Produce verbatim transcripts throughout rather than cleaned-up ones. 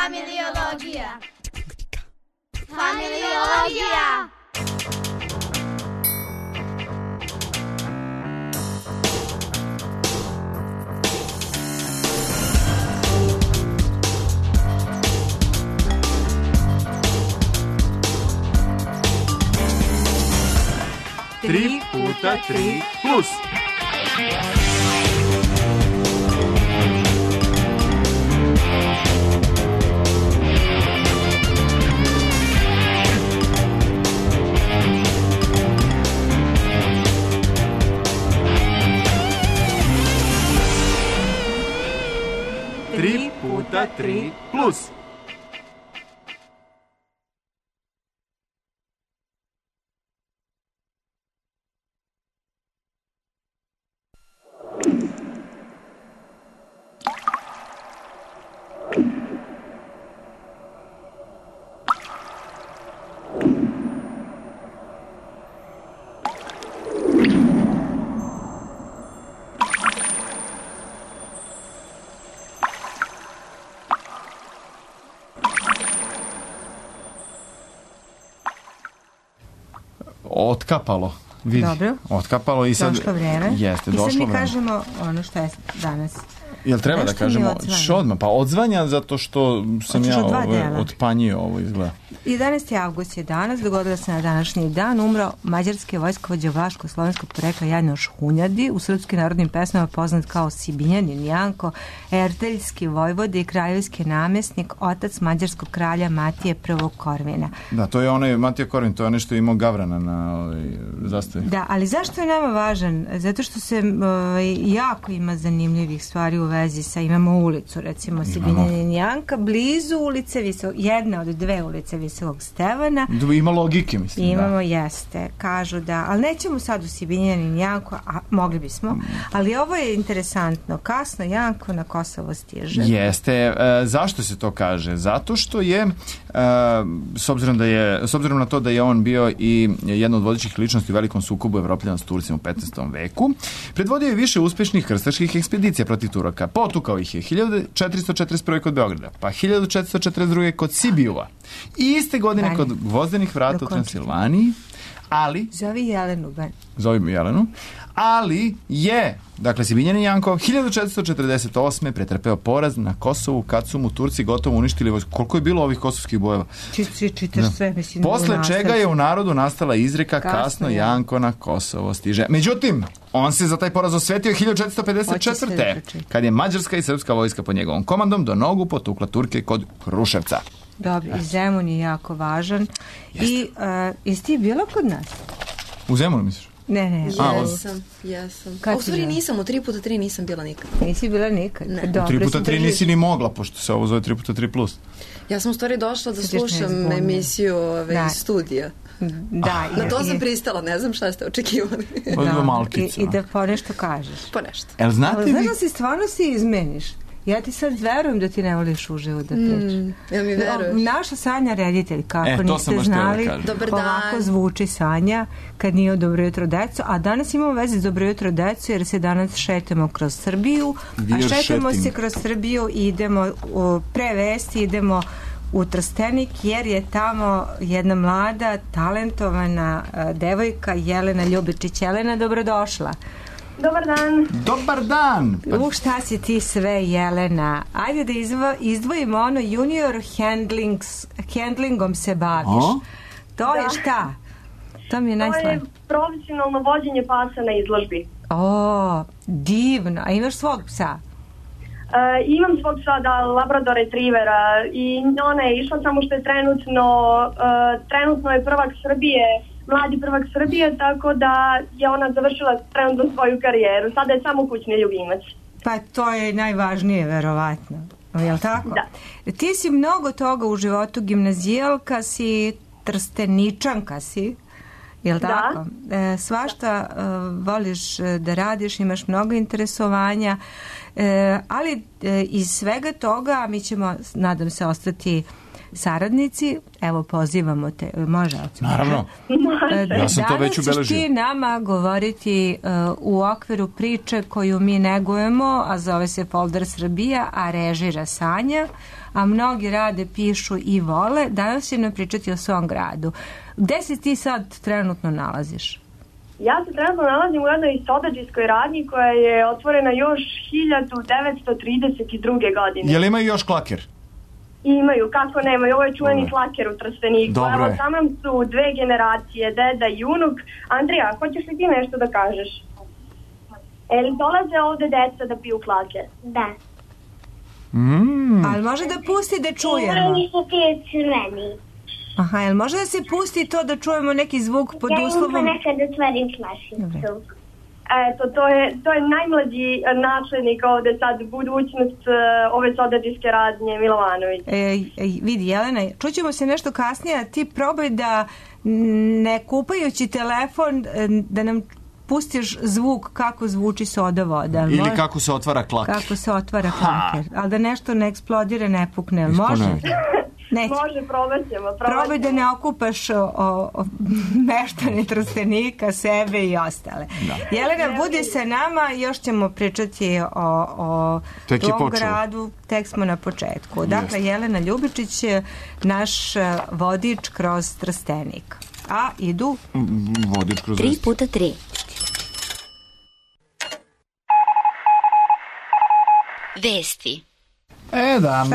Familiologija. Familiologija. Tri puta tri plus. Tri puta tri plus. Otkapalo. Vidi. Dobro. Otkapalo i sad... Došlo vreme. Jeste, I došlo sad mi vreme. kažemo ono što je danas. Jel treba da kažemo što odmah? Pa odzvanja zato što sam ja ovaj, otpanjio ovo izgleda. jedanaesti avgust je danas, dogodilo se na današnji dan, umro mađarski vojskovođa vlaško-slovenskog porekla Janoš Hunjadi, u srpskim narodnim pesmama poznat kao Sibinjanin Janko, erteljski vojvode i kraljevski namjesnik, otac mađarskog kralja Matije prvog Korvina. Da, to je onaj Matija Korvin, to je nešto imao Gavrana na ovaj, zastavi. Da, ali zašto je nama važan? Zato što se ovaj, jako ima zanimljivih stvari u vezi sa, imamo ulicu, recimo Sibinjanin Janka, blizu ulice Visokog, jedna od dve ulice Visokog Stevana. Ima logike, mislim. Imamo, da. Jeste, kažu da, ali nećemo sad u Sibinjanin Janko, a mogli bismo, ali ovo je interesantno, kasno Janko na Kosovo stiže. Jeste, e, zašto se to kaže? Zato što je, e, s obzirom da je, s obzirom na to da je on bio i jedna od vodećih ličnosti u velikom sukobu Evropljana s Turcima u petnaestom veku, predvodio je više uspešnih krstaških ekspedicija protiv Turaka. Potukao ih je hiljadu četiristo četrdeset prve kod Beograda, pa hiljadu četiristo četrdeset druge kod Sibijua i iste godine Bani. Kod Gvozdenih vrata u Transilvaniji, ali... Zovi Jelenu, Bani. Zovi Jelenu, ali je, dakle, Sibinjanin Janko hiljadu četiristo četrdeset osme pretrpeo poraz na Kosovu kad su mu Turci gotovo uništili vojsku. Koliko je bilo ovih kosovskih bojeva? Či, čitaš sve, mislim. Posle čega je u narodu nastala izreka kasno, kasno Janko na Kosovo stiže. Međutim, on se za taj poraz osvetio hiljadu četiristo pedeset četvrte kad je mađarska i srpska vojska pod njegovom komandom do nogu potukla Turke kod Kruševca. Dobro, i Zemun je jako važan. Jeste. I uh, jesi ti bila kod nas? U Zemunu misliš? Ne, ne. Jesam, jesam. Kad u stvari nisam, u tri puta tri nisam bila nikad. Nisi bila nikad? Ne. Dobro, u tri puta tri nisi ni mogla, pošto se ovo zove tri puta tri plus. Ja sam u stvari došla da slušam emisiju ove, studija. Da, na to sam pristala, ne znam šta ste očekivali. Da, malkica. I, I da po nešto kažeš. Po nešto. El znate ali vi... znaš da si stvarno si izmeniš? Ja ti sad verujem da ti ne voliš uživo da pričaš. Mm, ja mi veruješ. Naša Sanja reditelj, kako e, niste znali, Dobar dan. ovako zvuči Sanja kad nije u Dobro jutro deco, a danas imamo veze s Dobro jutro deco jer se danas šetamo kroz Srbiju, We're a šetamo šeting. se kroz Srbiju i idemo u, pre vesti, idemo u Trstenik jer je tamo jedna mlada, talentovana uh, devojka Jelena Ljubičić. Jelena, dobrodošla. Dobar dan. Dobar dan. U šta si ti sve, Jelena? Ajde da izvo, izdvojimo ono junior handlings, handlingom se baviš. O? To da. je šta? To mi je najslavnije. To je profesionalno vođenje pasa na izložbi. O, divno. A imaš svog psa? Uh, imam svog psa, da, Labrador Retrievera, i ona je išla, samo što je trenutno, uh, trenutno je prvak Srbije, mladi prvak Srbije, tako da je ona završila trenutno svoju karijeru. Sada je samo kućni ljubimac. Pa to je najvažnije, verovatno. Je li tako? Da. Ti si mnogo toga u životu, gimnazijalka si, trsteničanka si, je li tako? E, svašta e, voliš da radiš, imaš mnogo interesovanja, e, ali e, iz svega toga mi ćemo, nadam se, ostati saradnici, evo pozivamo te, može? Naravno, ja sam to već ubeležio. Danas ćeš ti nama govoriti uh, u okviru priče koju mi negujemo, a zove se Folder Srbija, a režira Sanja, a mnogi rade, pišu i vole. Danas će nam pričati o svom gradu. Gde se ti sad trenutno nalaziš? Ja se trenutno nalazim u jednoj sodađijskoj radnji koja je otvorena još hiljadu devetsto trideset druge. godine. Jel imaju još klaker? Imaju, kako nemaju. Ovo je čuveni klaker u Trsteniku. Dobro Evo, je. sa mnom su dve generacije, deda i unuk. Andrija, hoćeš li ti nešto da kažeš? E li dolaze ovde deca da piju klaker? Da. Mm. Ali može da pusti da čujemo? Oni su ti crveni. Aha, jel može da se pusti to da čujemo neki zvuk pod Ja im uslovom? ponekad otvorim flašicu. Eto, to je, to je najmlađi načelnik ovde sad, budućnost uh, ove sodađijske radnje, Milovanović. E, e, vidi, Jelena, čućemo se nešto kasnije, a ti probaj da ne kupajući telefon, da nam pustiš zvuk kako zvuči soda voda. Ili može? kako se otvara klaker. Kako se otvara klaker. Ali da nešto ne eksplodira, ne pukne. Jel može? Neće. Može, probat ćemo. Probaj da ne okupaš o, o meštane Trstenika, sebe i ostale. Da. Jelena, budi sa nama, još ćemo pričati o, o tom gradu, tek smo na početku. Dakle, Jest. Jelena Ljubičić je naš vodič kroz Trstenik. A idu... Vodič kroz Tri puta tri. Vesti. E da,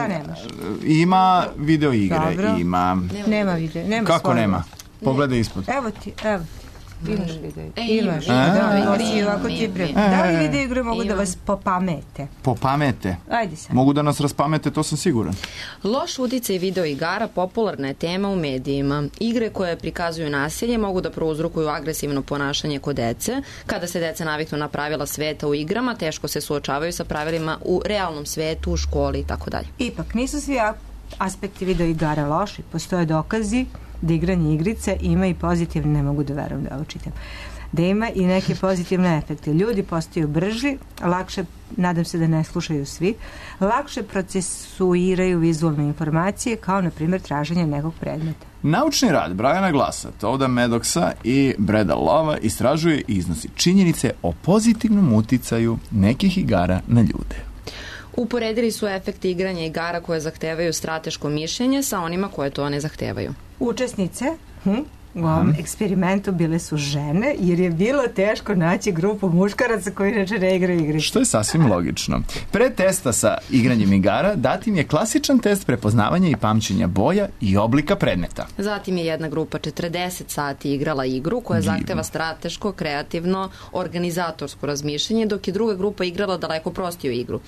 ima video igre, Dobro. ima... Nema video, nema Kako svoje. nema? Pogledaj ispod. Evo ti, evo ti. Imaš video igre. E, imaš. E, Da, ima, si ima, ovako ti ima, pre... ima. Da li video igre mogu da vas popamete? Popamete? Ajde sad. Mogu da nas raspamete, to sam siguran. Loš uticaj video igara popularna je tema u medijima. Igre koje prikazuju nasilje mogu da prouzrokuju agresivno ponašanje kod dece. Kada se deca naviknu na pravila sveta u igrama, teško se suočavaju sa pravilima u realnom svetu, u školi i tako dalje. Ipak, nisu svi aspekti video igara loši. Postoje dokazi da igranje igrice ima i pozitivne, ne mogu da verujem da ovo čitam, da ima i neke pozitivne efekte. Ljudi postaju brži, lakše, nadam se da ne slušaju svi, lakše procesuiraju vizualne informacije, kao na primjer traženje nekog predmeta. Naučni rad Briana Glassa, Toda Maddoxa i Breda Lova istražuje i iznosi činjenice o pozitivnom uticaju nekih igara na ljude. Uporedili su efekte igranja igara koje zahtevaju strateško mišljenje sa onima koje to ne zahtevaju. Učesnice hm, u ovom eksperimentu bile su žene, jer je bilo teško naći grupu muškaraca koji inače ne igraju igrice. Što je sasvim logično. Pre testa sa igranjem igara dat im je klasičan test prepoznavanja i pamćenja boja i oblika predmeta. Zatim je jedna grupa četrdeset sati igrala igru koja Divno. zahteva strateško, kreativno, organizatorsko razmišljanje, dok je druga grupa igrala daleko prostiju igru.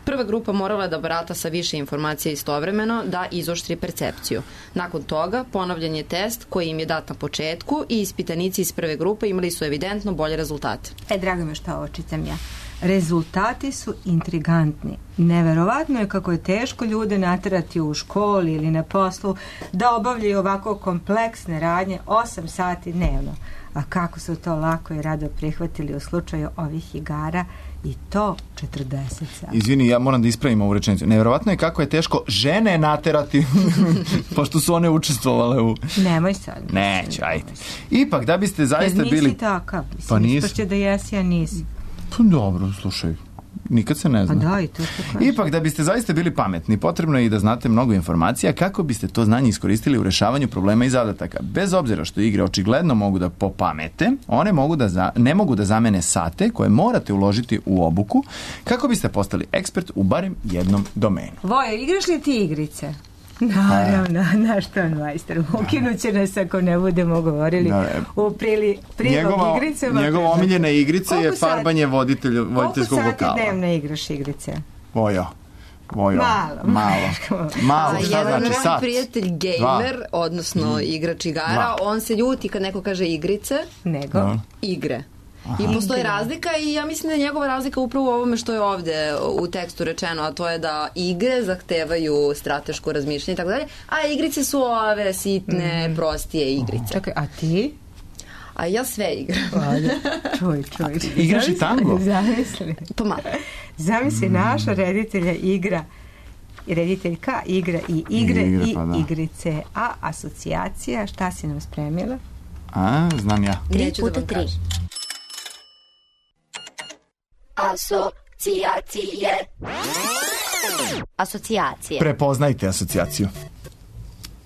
Prva grupa morala je da barata sa više informacija istovremeno da izoštri percepciju. Nakon toga ponovljen je test koji im je dat na početku i ispitanici iz prve grupe imali su evidentno bolje rezultate. E, drago me što ovo čitam ja. Rezultati su intrigantni. Neverovatno je kako je teško ljude naterati u školi ili na poslu da obavljaju ovako kompleksne radnje osam sati dnevno. A kako su to lako i rado prihvatili u slučaju ovih igara i to četrdeset sati. Izvini, ja moram da ispravim ovu rečenicu. Neverovatno je kako je teško žene naterati pošto su one učestvovale u... Nemoj sad. Neću, ajde. Ipak, da biste zaista Jer bili... nisi takav. Mislim, Pa nisi. ispašće da jesi, a nisi. Pa dobro, slušaj. Nikad se ne zna. Pa da, i to što kažeš. Ipak, da biste zaista bili pametni, potrebno je i da znate mnogo informacija kako biste to znanje iskoristili u rešavanju problema i zadataka. Bez obzira što igre očigledno mogu da popamete, one mogu da za, ne mogu da zamene sate koje morate uložiti u obuku kako biste postali ekspert u barem jednom domenu. Vojo, igraš li ti igrice? Naravno, naš to majster. Ukinut će nas ako ne budemo govorili Da, u prili, prilog njegova, igricama. njegova omiljena igrica je Koliko farbanje voditelj, voditeljskog Koliko vokala. sati dnevno igraš igrice? Vojo. Vojo. Malo. Malo. Malo, A šta jedan znači? moj Sat. prijatelj gamer, Dva. odnosno igrač igara, Dva. on se ljuti kad neko kaže igrice, Nego? Da. igre. I postoji razlika i ja mislim da je njegova razlika upravo u ovome što je ovde u tekstu rečeno, a to je da igre zahtevaju strateško razmišljanje i tako dalje, a igrice su ove sitne, prostije igrice. Čekaj, a ti? A ja sve igram. Ajde, čuj, čuj. Igraš i tango? Zamisli. Pa malo. Zamisli, naša reditelja igra rediteljka, igra i igre I, igra, i pa da. igrice. A asocijacija, šta si nam spremila? A, znam ja. Tri puta tri. Asocijacije. Asocijacije. Prepoznajte asocijaciju.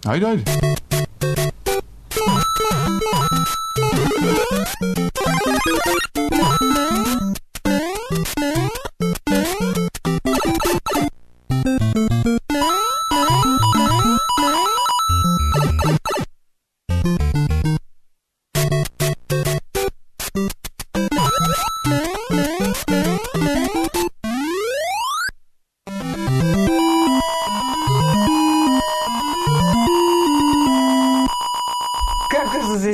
Ajde, ajde.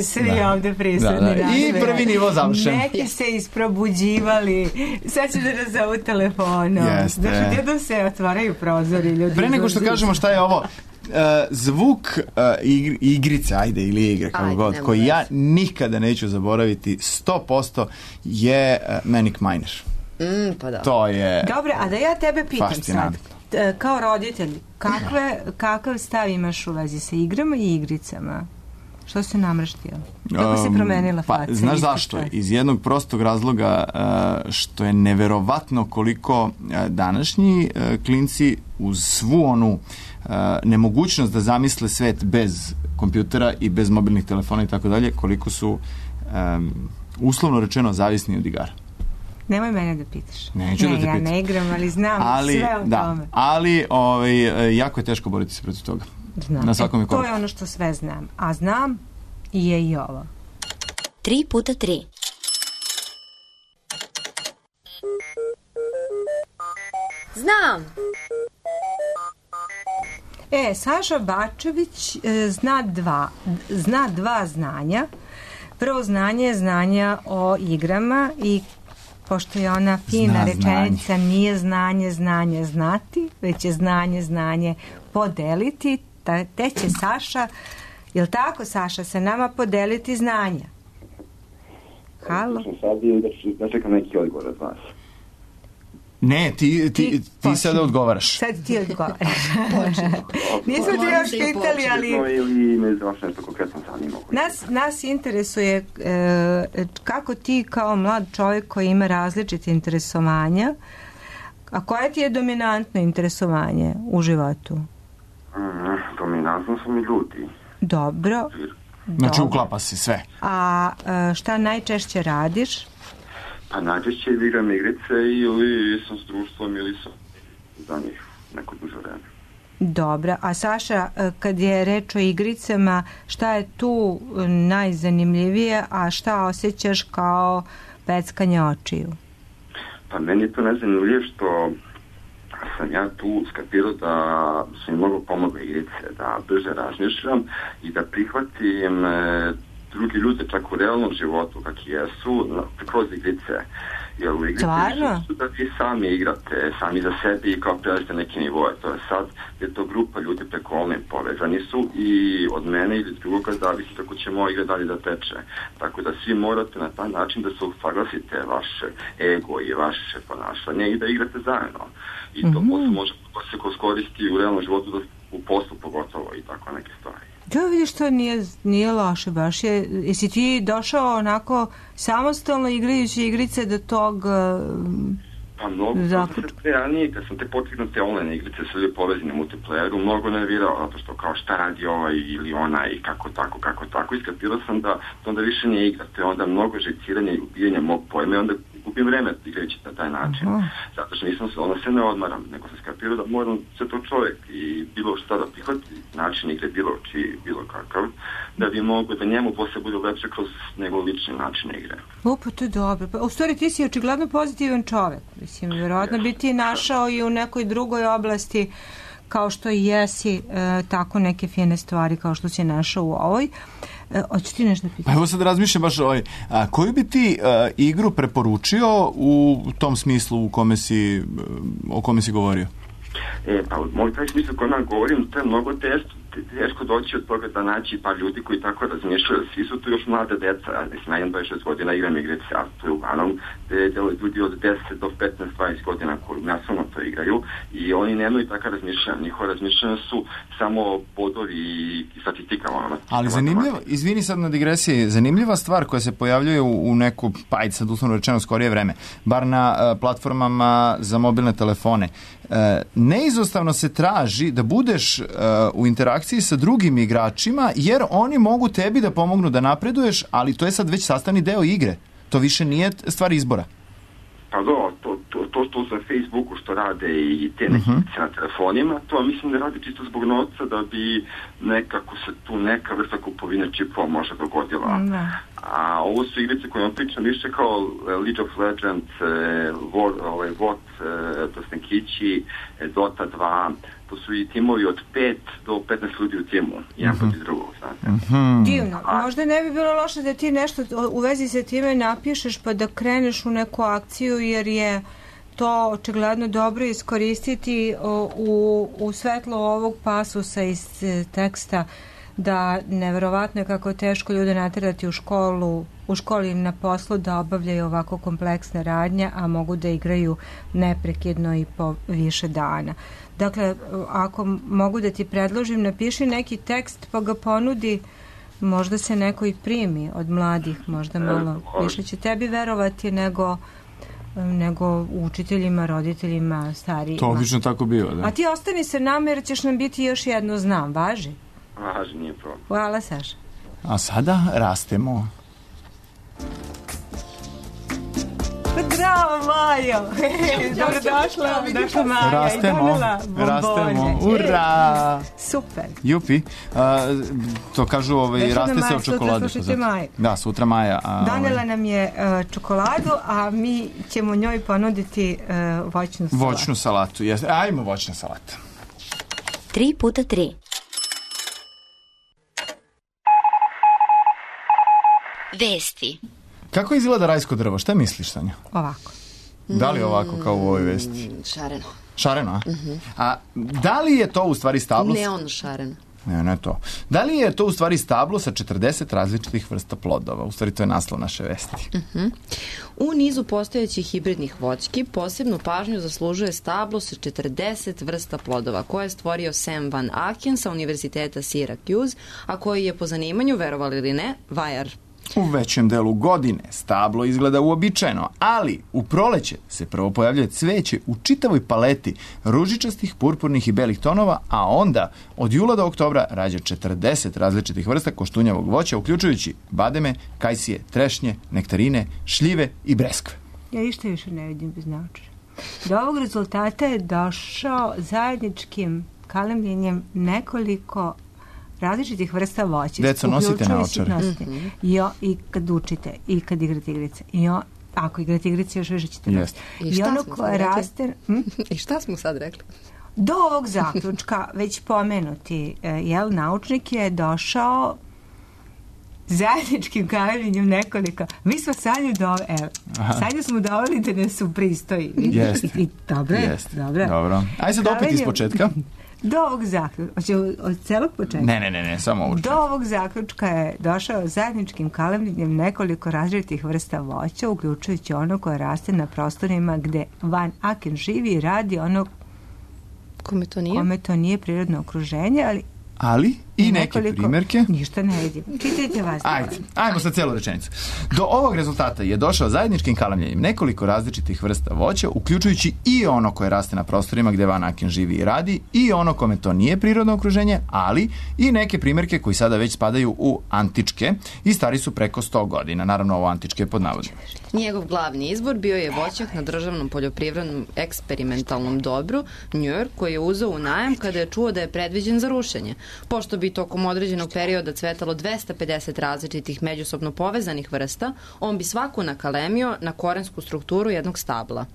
Svi da. Ovde prisutni. Da, da. I prvi nivo završen. Neki se isprobuđivali. Sad ću da nazovu telefonom. Jeste. Znači, jednom se otvaraju prozori. Ljudi Pre nego što kažemo šta je ovo, uh, zvuk uh, igri, igrice, ajde, ili igre, kako god, koji ja nikada neću zaboraviti, sto posto je uh, Manic Miner. Mm, pa da. To je... Dobre, a da ja tebe pitam sad, kao roditelj, kakve, kakav stav imaš u vezi sa igrama i igricama? Što se namrštio? Kako se promenila faca? Pa, znaš zašto? Iz jednog prostog razloga uh, što je neverovatno koliko uh, današnji uh, klinci uz svu onu uh, nemogućnost da zamisle svet bez kompjutera i bez mobilnih telefona i tako dalje, koliko su um, uslovno rečeno zavisni od igara. Nemoj mene da pitaš. Neću ne, da te ja pitam. ne igram, ali znam ali, sve o da, tome. Ali ovaj, jako je teško boriti se protiv toga. Znam. Na svakom e, je korak. To je ono što sve znam. A znam i je i ovo. Tri puta tri. Znam. E, Saša Bačević e, zna dva, zna dva znanja. Prvo znanje je znanja o igrama i pošto je ona fina Zna rečenica, znanje. nije znanje, znanje znati, već je znanje, znanje podeliti, te će Saša, je li tako Saša, sa nama podeliti znanja? Halo? Sad je da, da čekam neki odgovor od vas. Ne, ti, ti, Ti ti sada odgovaraš. Sad ti odgovaraš. Nismo ti još pitali, ali... Ili me za vas nešto konkretno zanimalo. Nas, nas interesuje e, kako ti kao mlad čovjek koji ima različite interesovanja, a koje ti je dominantno interesovanje u životu? Mm, dominantno su mi ljudi. Dobro. Znači Dobro. uklapa se sve. A e, šta najčešće radiš? Pa najčešće igram igrice ili sam s društvom ili sam za njih neko duže vreme. Dobro. A Saša, e, kad je reč o igricama, šta je tu najzanimljivije, a šta osjećaš kao peckanje očiju? Pa meni je to najzanimljivije što sam ja tu skapirao da su mi mnogo pomogle igrice, da brže razmišljam i da prihvatim e, drugi ljude čak u realnom životu kakvi jesu kroz igrice. Jer u igrice su da vi sami igrate, sami za sebi i kao prelazite neki nivoje. To je sad je to grupa ljudi preko online povezani su i od mene ili drugoga zavisi kako će moja igra dalje da teče. Tako da svi morate na taj način da se usaglasite vaše ego i vaše ponašanje i da igrate zajedno. I to mm-hmm. posle može se koristi u realnom životu, da, u poslu pogotovo i tako neke stvari. Da, vidiš, to nije, nije loše baš. Je, jesi ti došao onako samostalno igrajući igrice do tog Pa mnogo, zaključ... kad sam te ranije, kad sam te potignute online igrice sve ljudi povezane multiplayeru, mnogo nervirao, zato što kao šta radi ovaj ili ona i kako tako, kako tako. Iskapirao sam da onda više nije igrate, onda mnogo žeciranja i ubijanja mog pojma i onda gubim vreme igrajući na taj način. Aha. Zato što nisam se, onda se ne odmaram, nego sam skapirao da moram se to čovjek i bilo šta da prihvati, način igre, bilo čiji, bilo kakav, da bi mogo da njemu posle bude lepše kroz njegov lični način igre. O, pa to je dobro. Pa, u stvari ti si očigledno pozitivan čovjek. Mislim, vjerojatno bi ti našao i u nekoj drugoj oblasti kao što i jesi e, tako neke fine stvari kao što si našao u ovoj. E, hoću ti nešto pitati? Evo sad razmišljam baš ovaj, a, koju bi ti a, igru preporučio u tom smislu u kome si, o kome si govorio? E, pa u moj taj smislu kojem ja govorim, to je mnogo test, teško doći od toga da naći par ljudi koji tako razmišljaju. Svi su tu još mlade deca, ja imam dvadeset šest godina, igram igrice, a to je uglavnom ljudi od deset do petnaest dvadeset godina koji nasilno to igraju i oni nemaju taka razmišljanja. Njihova razmišljanja su samo bodovi i statistika. Ono, Ali zanimljivo, izvini sad na digresiji, zanimljiva stvar koja se pojavljuje u, u neku, pa ajde sad uslovno rečeno skorije vreme, bar na uh, platformama za mobilne telefone. Uh, neizostavno se traži da budeš uh, u interakciji sa drugim igračima, jer oni mogu tebi da pomognu da napreduješ, ali to je sad već sastavni deo igre. To više nije stvar izbora. Pa do, to, to, to što za Facebooku što rade i te neke uh-huh. na telefonima, to mislim da radi čisto zbog novca da bi nekako se tu neka vrsta kupovine čipova možda dogodila. Uh-huh. A ovo su igrice koje vam pričam više kao League of Legends, War, ovaj, W O T, Dosnenkići, Dota dva, to su i timovi od pet do petnaest ljudi u timu, jedan uh-huh. protiv drugog, znate. Uh-huh. Divno. Možda ne bi bilo loše da ti nešto u vezi sa time napišeš pa da kreneš u neku akciju, jer je to očigledno dobro iskoristiti u, u svetlo ovog pasusa iz teksta, da neverovatno je kako je teško ljude naterati u školu, u školi na poslu da obavljaju ovako kompleksne radnje, a mogu da igraju neprekidno i po više dana. Dakle, ako mogu da ti predložim, napiši neki tekst pa ga ponudi, možda se neko i primi od mladih, možda malo više će tebi verovati nego nego učiteljima, roditeljima, starijima. To obično tako biva, da. A ti ostani sa nama jer ćeš nam biti još jedno znam, važi? Važi, nije problem. Hvala, Saša. A sada rastemo. Bravo, Majo! Dobro došla, došla Maja. Rastemo, rastemo, ura! Super. Jupi, a, to kažu, ovaj, Već raste se Maja, od čokolade. Sutra Maja. Da, sutra Maja. A, Donela ovaj. nam je uh, čokoladu, a mi ćemo njoj ponuditi uh, voćnu salatu. Voćnu salatu, jes. Ajmo voćna salata. Tri puta tri. Vesti. Kako izgleda rajsko drvo? Šta misliš, Sanja? Ovako. Da li ovako kao u ovoj vesti? Šareno. Šareno, a? Uh-huh. A da li je to u stvari stablo? Neon šareno. Ne, ne to. Da li je to u stvari stablo sa četrdeset različitih vrsta plodova? U stvari to je naslov naše vesti. Uh-huh. U nizu postojećih hibridnih voćki posebnu pažnju zaslužuje stablo sa četrdeset vrsta plodova koje je stvorio Sam Van Aken sa Univerziteta Syracuse, a koji je po zanimanju, verovali ili ne, vajar. U većem delu godine stablo izgleda uobičajeno, ali u proleće se prvo pojavljuje cveće u čitavoj paleti ružičastih, purpurnih i belih tonova, a onda od jula do oktobra rađa četrdeset različitih vrsta koštunjavog voća, uključujući bademe, kajsije, trešnje, nektarine, šljive i breskve. Ja ništa više ne vidim bez naočara. Do ovog rezultata je došao zajedničkim kalemljenjem nekoliko različitih vrsta voća. Deco, nosite naočare. Mm-hmm. I, I kad učite, i kad igrate igrice. I o, ako igrate igrice, još više ćete nositi. I šta I ono smo koje raste... Hm? I šta smo sad rekli? Do ovog zaključka, već pomenuti, jel, naučnik je došao zajedničkim kalemljenjem nekoliko. Mi smo Sanju doveli, evo, Sanju smo doveli da nas upristoji. Jeste. I, i, dobro je, dobro. Dobro. Ajde sad opet iz početka. Do ovog zaključka, hoće od celog početka? Ne, ne, ne, ne, samo ovo. Do ovog zaključka je došao zajedničkim kalemljenjem nekoliko različitih vrsta voća, uključujući ono koje raste na prostorima gde Van Aken živi i radi ono kome to nije, kome to nije prirodno okruženje, ali ali i neke primjerke. Ništa ne vidim. Čitajte vas. Ajde, ajmo sa celu rečenicu. Do ovog rezultata je došao zajedničkim kalemljenjem nekoliko različitih vrsta voća, uključujući i ono koje raste na prostorima gde Van Aken živi i radi, i ono kome to nije prirodno okruženje, ali i neke primjerke koji sada već spadaju u antičke i stari su preko sto godina. Naravno, ovo antičke je pod navodom. Njegov glavni izbor bio je voćnjak na državnom poljoprivrednom eksperimentalnom dobru New York, koji je uzeo u najam kada je čuo da je predviđen za rušenje. Pošto bi tokom određenog perioda cvetalo dvesta pedeset različitih međusobno povezanih vrsta, on bi svaku nakalemio na korensku strukturu jednog stabla.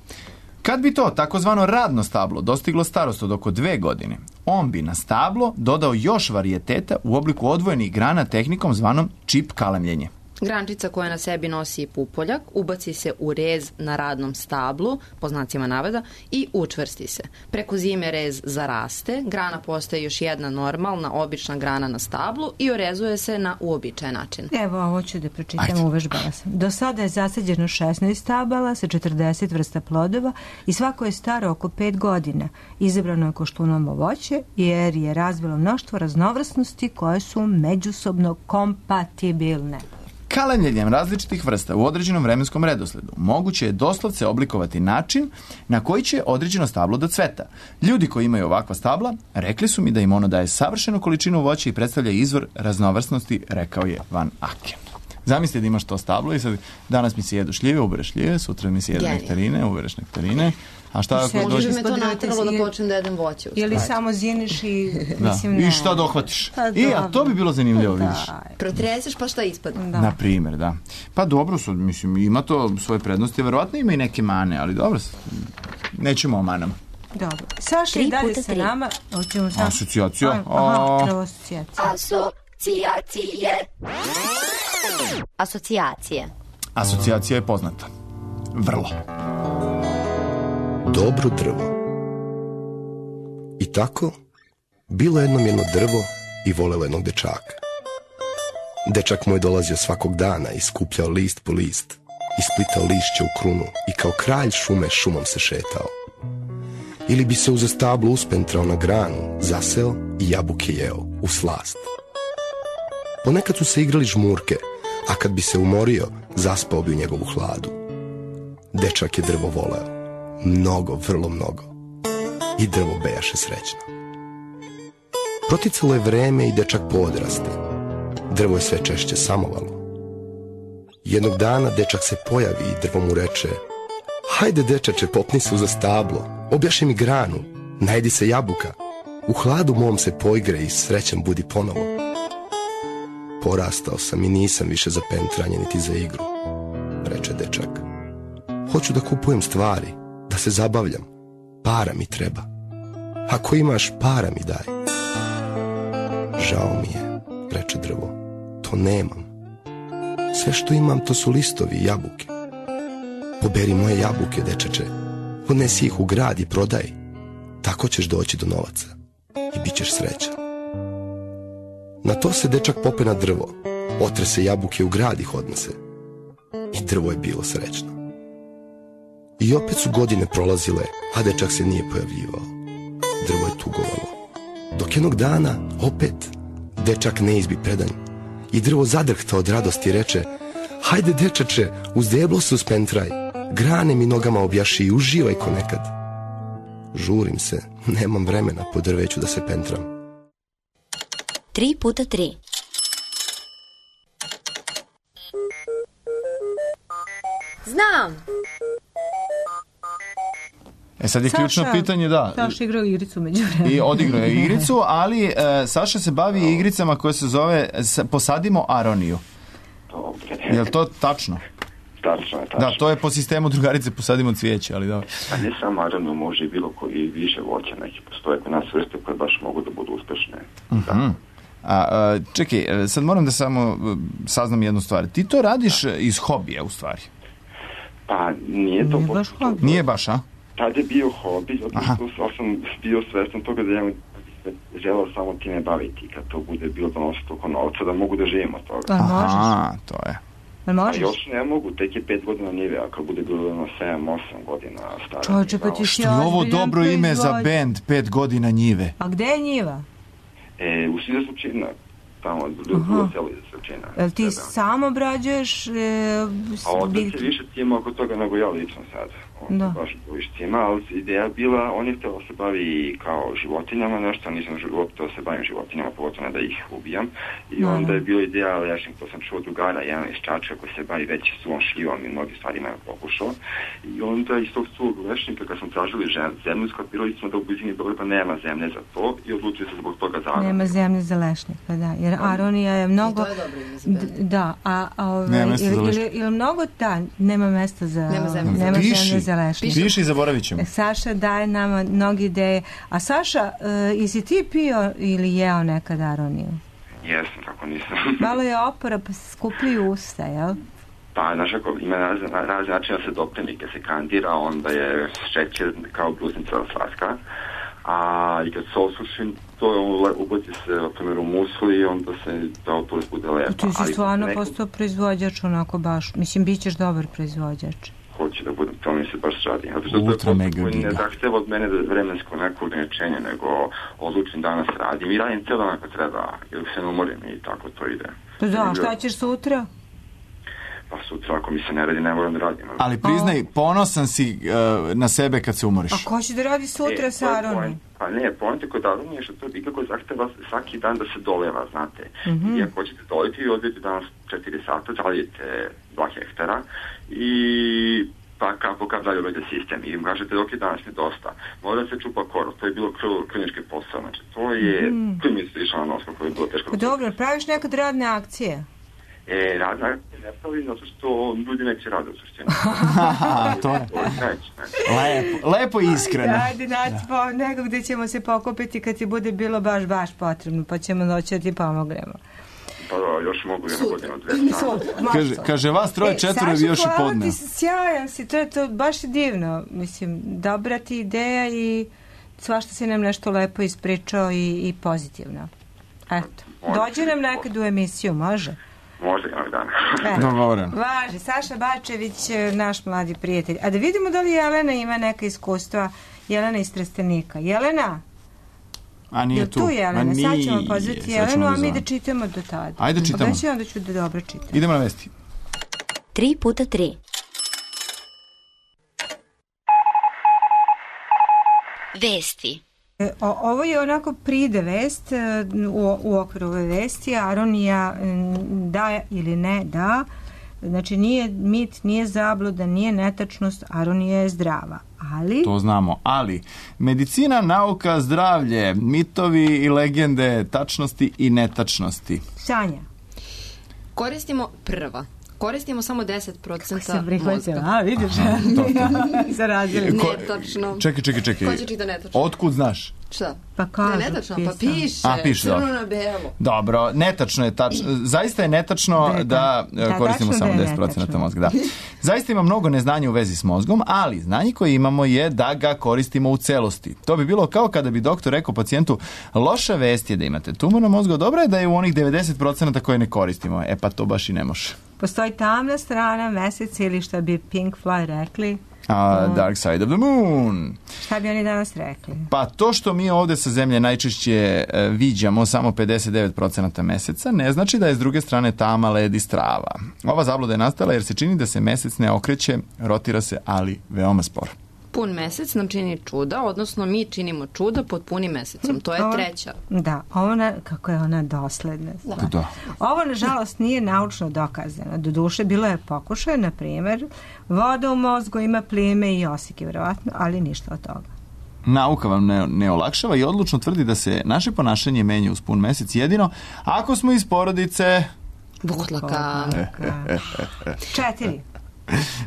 Kad bi to takozvano radno stablo dostiglo starost od oko dve godine, on bi na stablo dodao još varijeteta u obliku odvojenih grana tehnikom zvanom čip kalemljenje. Grančica koja na sebi nosi pupoljak ubaci se u rez na radnom stablu, po znacima navoda, i učvrsti se. Preko zime rez zaraste, grana postaje još jedna normalna, obična grana na stablu i orezuje se na uobičajen način. Evo, ovo ću da pročitam, uvežbala sam. Do sada je zasađeno šesnaest stabala sa četrdeset vrsta plodova i svako je staro oko pet godina. Izabrano je koštunovo voće jer je razvilo mnoštvo raznovrsnosti koje su međusobno kompatibilne. Kalemljenjem različitih vrsta u određenom vremenskom redosledu moguće je doslovce oblikovati način na koji će određeno stablo da cveta. Ljudi koji imaju ovakva stabla rekli su mi da im ono daje savršenu količinu voća i predstavlja izvor raznovrsnosti, rekao je Van Aken. Zamislite da imaš to stablo i sad danas mi se jedu šljive, ubereš šljive, sutra mi se jedu nektarine, ubereš nektarine. A šta ako dođe? Može me to natralo da počnem da jedem voće. Ili samo ziniš i... Da. Mislim, ne. I šta dohvatiš? I, a to bi bilo zanimljivo, da. vidiš. Protreseš pa šta ispadne. Da. Na primjer, da. Pa dobro, sad, mislim, ima to svoje prednosti, verovatno ima i neke mane, ali dobro, nećemo o manama. Dobro. Saša i dalje sa nama. Sam... Asocijacija. Aha, prvo asocijacija. Asocijacije. Asocijacije. Asocijacija je poznata. Vrlo. Dobro drvo. I tako, bilo jednom jedno drvo i volelo jednog dečaka. Dečak mu je dolazio svakog dana i skupljao list po list, isplitao lišće u krunu i kao kralj šume šumom se šetao. Ili bi se uza stablo uspentrao na granu, zaseo i jabuke jeo u slast. Ponekad su se igrali žmurke, a kad bi se umorio, zaspao bi u njegovu hladu. Dečak je drvo voleo. Mnogo, vrlo mnogo. I drvo bejaše srećno. Proticalo je vreme i dečak poodraste. Drvo je sve češće samovalo. Jednog dana dečak se pojavi i drvo mu reče: hajde dečače, popni se uza stablo, objaši mi granu, najedi se jabuka, u hladu mom se poigre i srećan budi ponovo. Porastao sam i nisam više za pentranje niti za igru, reče dečak. Hoću da kupujem stvari, da se zabavljam, para mi treba. Ako imaš, para mi daj. Žao mi je, reče drvo, to nemam. Sve što imam to su listovi i jabuke. Poberi moje jabuke, dečače, odnesi ih u grad i prodaj. Tako ćeš doći do novaca i bit ćeš srećan. Na to se dečak pope na drvo, otrese jabuke u grad ih odnese. I drvo je bilo srećno. I opet su godine prolazile, a dečak se nije pojavljivao. Drvo je tugovalo. Dok jednog dana, opet, dečak ne izbi predanj. I drvo zadrhta od radosti reče: hajde dečače, uz deblo se uspentraj, grane mi nogama objaši i uživaj ko nekad. Žurim se, nemam vremena po drveću da se pentram. Tri puta tri. Znam. E sad je ključno pitanje, da. Saša igrao igricu među vremena. I odigrao je igricu, ali e, Saša se bavi igricama koje se zove Posadimo aroniju. Dobre. Je li to tačno? Tačno je, tačno. Da, to je po sistemu drugarice Posadimo cvijeće, ali dobro. A ne samo aroniju, može i bilo koji više voća, neki postoje kod nas vrste koje baš mogu da budu uspešne. Uh-huh. A, a, čekaj, sad moram da samo saznam jednu stvar. Ti to radiš da. iz hobija, u stvari? Pa nije to... Nije baš hobi. Nije baš, a? Tad je bio hobi, zato što sam bio svestan toga da ja želeo samo time baviti, kad to bude bilo donosi toliko novca, da mogu da živim od toga. Pa možeš. Aha, to je. Pa možeš. A još ne mogu, tek je pet godina njive, a kad bude bilo na sedam osam godina stara. Čovječe, pa ti si Što je ovo dobro ime za bend, pet godina njive? A gde je njiva? E, u Sida Slučina, tamo, drugo celo Sida Slučina. Jel ti sam obrađuješ? E, a ovdje se više tima oko toga nego ja lično sad. Da. Baš više tima, ali ideja bila, on je htio se bavi kao životinjama nešto, nisam htio se bavim životinjama, pogotovo ne da ih ubijam. I da, onda je bila ideja, ali ja sam, to sam čuo drugara, jedan iz Čačka koji se bavi već suvom šljivom i mnogi stvari imaju pokušao. I onda iz tog svog lešnika, kad sam tražili zemlju, skapirali smo da u blizini Beograda nema zemlje za to i odlučili se zbog toga za nema zemlje za lešnik, pa da, jer aronija je mnogo... I to je dobro ime za bend. Da, a, a ovaj, nema mesta ili, za ili, ili mnogo, da, nema mesta za... Nema zemlje, nema Piši. zemlje za lešnik. Piši i zaboravit ćemo. Saša daje nama mnogi ideje. A Saša, uh, jesi ti pio ili jeo nekad aroniju? Jesam, kako nisam. Malo je opora, pa se skupljaju usta, jel? Pa, znaš ako ima razne, razne načina se dopremi, kad se kandira, onda je šećer kao brusnica slatka, a i kad se osuši, to je ubaci se, na primjer, u musli i onda se to oporiš bude lepa. Ti si stvarno neko... postao proizvođač, onako baš, mislim, bit ćeš dobar proizvođač. Hoće da budem, to mi se baš radi. Zato što Ultra to je mega koji giga. ne zahteva od mene vremensko neko ograničenje, nego odlučim danas radim i radim cijel dan ako treba, ili se ne umorim i tako to ide. Pa da, šta ćeš sutra? Pa sutra ako mi se ne radi, ne moram da radim. Ali priznaj, ponosan si uh, na sebe kad se umoriš. A ko će da radi sutra e, sa Aronom? Pa ne, pojente kod Aron je što to ikako zahteva svaki dan da se doleva, znate. Mm-hmm. I ako hoćete doliti i odvijete danas četiri sata, zalijete dva hektara i pa kako kad dalje uvede sistem i im kažete dok je danas nedosta, mora da se čupa korov, to je bilo klinički posao, znači to je, mm. to mi je išla na nos kako je bilo teško. Pa dobro, praviš nekad radne akcije? E, radne akcije ne pravi zato što ljudi neće rade u suštini. to je. Neće, neće. Lepo, lepo i iskreno. Ajde, naći pa nego gde ćemo se pokupiti kad ti bude bilo baš, baš potrebno, pa ćemo doći da ti pomognemo. Pa da, još mogu jednu godinu, dve strane. Kaže, kaže vas troje, četvore bi još i podne. Saša, ti sjajan si, to je to baš je divno. Mislim, dobra ti ideja i svašta si nam nešto lepo ispričao i, i pozitivno. Eto, dođi nam nekad u emisiju, može? Može jednog dana. Dogovoren. Važi, Saša Bačević, naš mladi prijatelj. A da vidimo da li Jelena ima neka iskustva. Jelena iz Trstenika. Jelena? A nije tu. tu Jelena? Sad ćemo pozvati Jelenu, a mi da čitamo do tada. Ajde čitamo. Obećaj onda ću da dobro čitam. Idemo na vesti. Tri puta tri. Vesti. O, ovo je onako pride vest u, u okviru ove vesti. Aronija da ili ne da. Znači nije mit, nije zabluda, nije netačnost, Aronija je zdrava. Ali... To znamo, ali medicina, nauka, zdravlje, mitovi i legende, tačnosti i netačnosti. Sanja. Koristimo prva. Koristimo samo deset procenta mozga. A, vidiš? Zaradili. Netačno. Čekaj, čekaj, čekaj. Ko će čita netačno? Otkud znaš? Šta? Pa kažu, ne, netačno, pisam. pa piše. A, piše, crno dobro. na belo. Dobro, netačno je tačno. Zaista je netačno da, da, da koristimo samo da deset procenta mozga. Da. Zaista ima mnogo neznanja u vezi s mozgom, ali znanje koje imamo je da ga koristimo u celosti. To bi bilo kao kada bi doktor rekao pacijentu, loša vest je da imate tumor na mozgu, dobro je da je u onih devedeset procenta koje ne koristimo. E pa to baš i ne može. Postoji tamna strana meseca ili što bi Pink Floyd rekli. A, Dark Side of the Moon. Šta bi oni danas rekli? Pa to što mi ovde sa zemlje najčešće e, viđamo samo pedeset devet procenta meseca, ne znači da je s druge strane tama, led i strava. Ova zabluda je nastala jer se čini da se mesec ne okreće, rotira se, ali veoma sporo. Pun mesec nam čini čuda, odnosno mi činimo čuda pod punim mesecom. To je treća. Da, ona, kako je ona dosledna. Da. Da. Ovo, nažalost, nije naučno dokazano. Doduše, bilo je pokušaj, na primjer, voda u mozgu ima plime i osike, vjerovatno, ali ništa od toga. Nauka vam ne, ne olakšava i odlučno tvrdi da se naše ponašanje menja uz pun mesec jedino ako smo iz porodice... Butlaka. Četiri.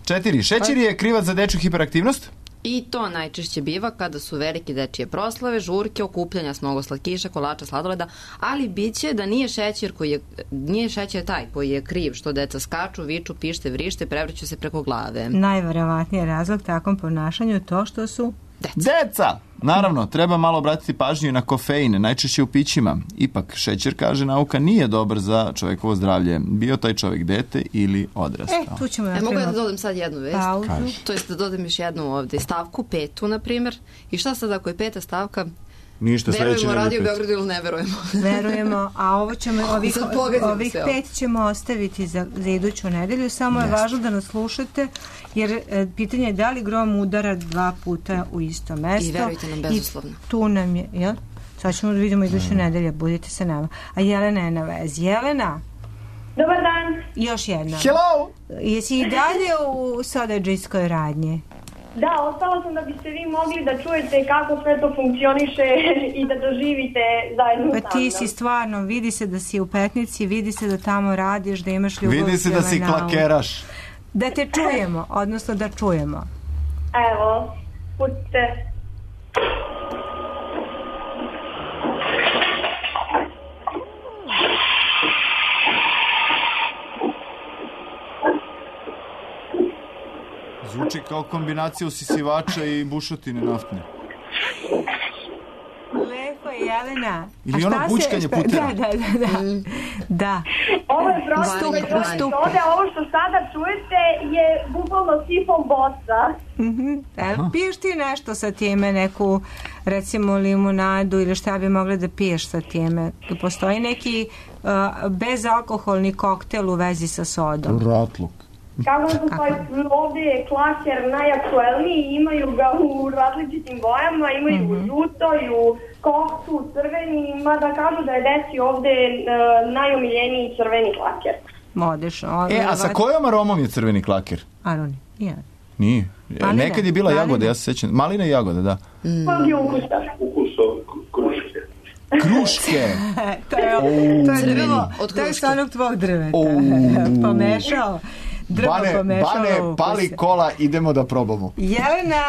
Četiri. Šećer je krivac za dečju hiperaktivnost? I to najčešće biva kada su velike dečije proslave, žurke, okupljanja s mnogo slatkiša, kolača, sladoleda, ali biće da nije šećer koji je, nije šećer taj koji je kriv, što deca skaču, viču, pište, vrište, prevrću se preko glave. Najverovatniji je razlog takvom ponašanju to što su Deca. Deca! Naravno, treba malo obratiti pažnju na kofein, najčešće u pićima. Ipak, šećer, kaže nauka, nije dobar za čovekovo zdravlje. Bio taj čovjek dete ili odrastao. E, tu ćemo e, mogu ja da dodam sad jednu vest? Pauzu. To jest da dodam još jednu ovde. Stavku petu, na primjer. I šta sad ako je peta stavka? Ništa sledeće. Verujemo Radio Beogradu ili ne verujemo? Verujemo, a ovo ćemo, ovih, ovih pet ćemo ostaviti za, za iduću nedelju. Samo je važno da nas slušate, jer e, pitanje je da li grom udara dva puta u isto mesto. I verujte nam bezuslovno. I tu nam je, jel? Sad ćemo da vidimo iduću mm. nedelju, budite sa nama. A Jelena je na vezi. Jelena? Dobar dan. Još jedna. Hello! Jesi i dalje u sodađijskoj radnji? Da, ostala sam da biste vi mogli da čujete kako sve to funkcioniše i da doživite zajedno pa ti si stvarno, vidi se da si u Petnici, vidi se da tamo radiš, da imaš ljubav. Vidi se da si klakeraš. Da te čujemo, odnosno da čujemo. Evo, pustite. Zvuči kao kombinacija usisivača i bušotine naftne. Lepo je, Jelena. Ili ono bučkanje putera. Da, da, da. Da. da. Ovo je prosto metode, ovo što sada čujete je bukvalno sifon bosa. Mm-hmm. Evo, piješ ti nešto sa time, neku recimo limunadu ili šta bi mogla da piješ sa time? Postoji neki uh, bezalkoholni koktel u vezi sa sodom? Ratluk. Kako su pa ovdje je klaser najaktuelniji, imaju ga u različitim bojama, imaju mm-hmm. u žuto i u koktu, crveni, mada kažu da je deci ovdje uh, najomiljeniji crveni klaker. Odlično. E, a sa kojom aromom je crveni klaker? Aroni, nije. Nije. Malina. Nekad je bila Malina. Jagode, ja se sećam. Malina i jagode, da. Mm. Pa je ukusa. Kruške. Kruške. to je, oh, to je drvo, to je sa onog tvog drveta. Oh. Pomešao. Drvo Bane, pomešao. Bane, pali kola, idemo da probamo. Jelena,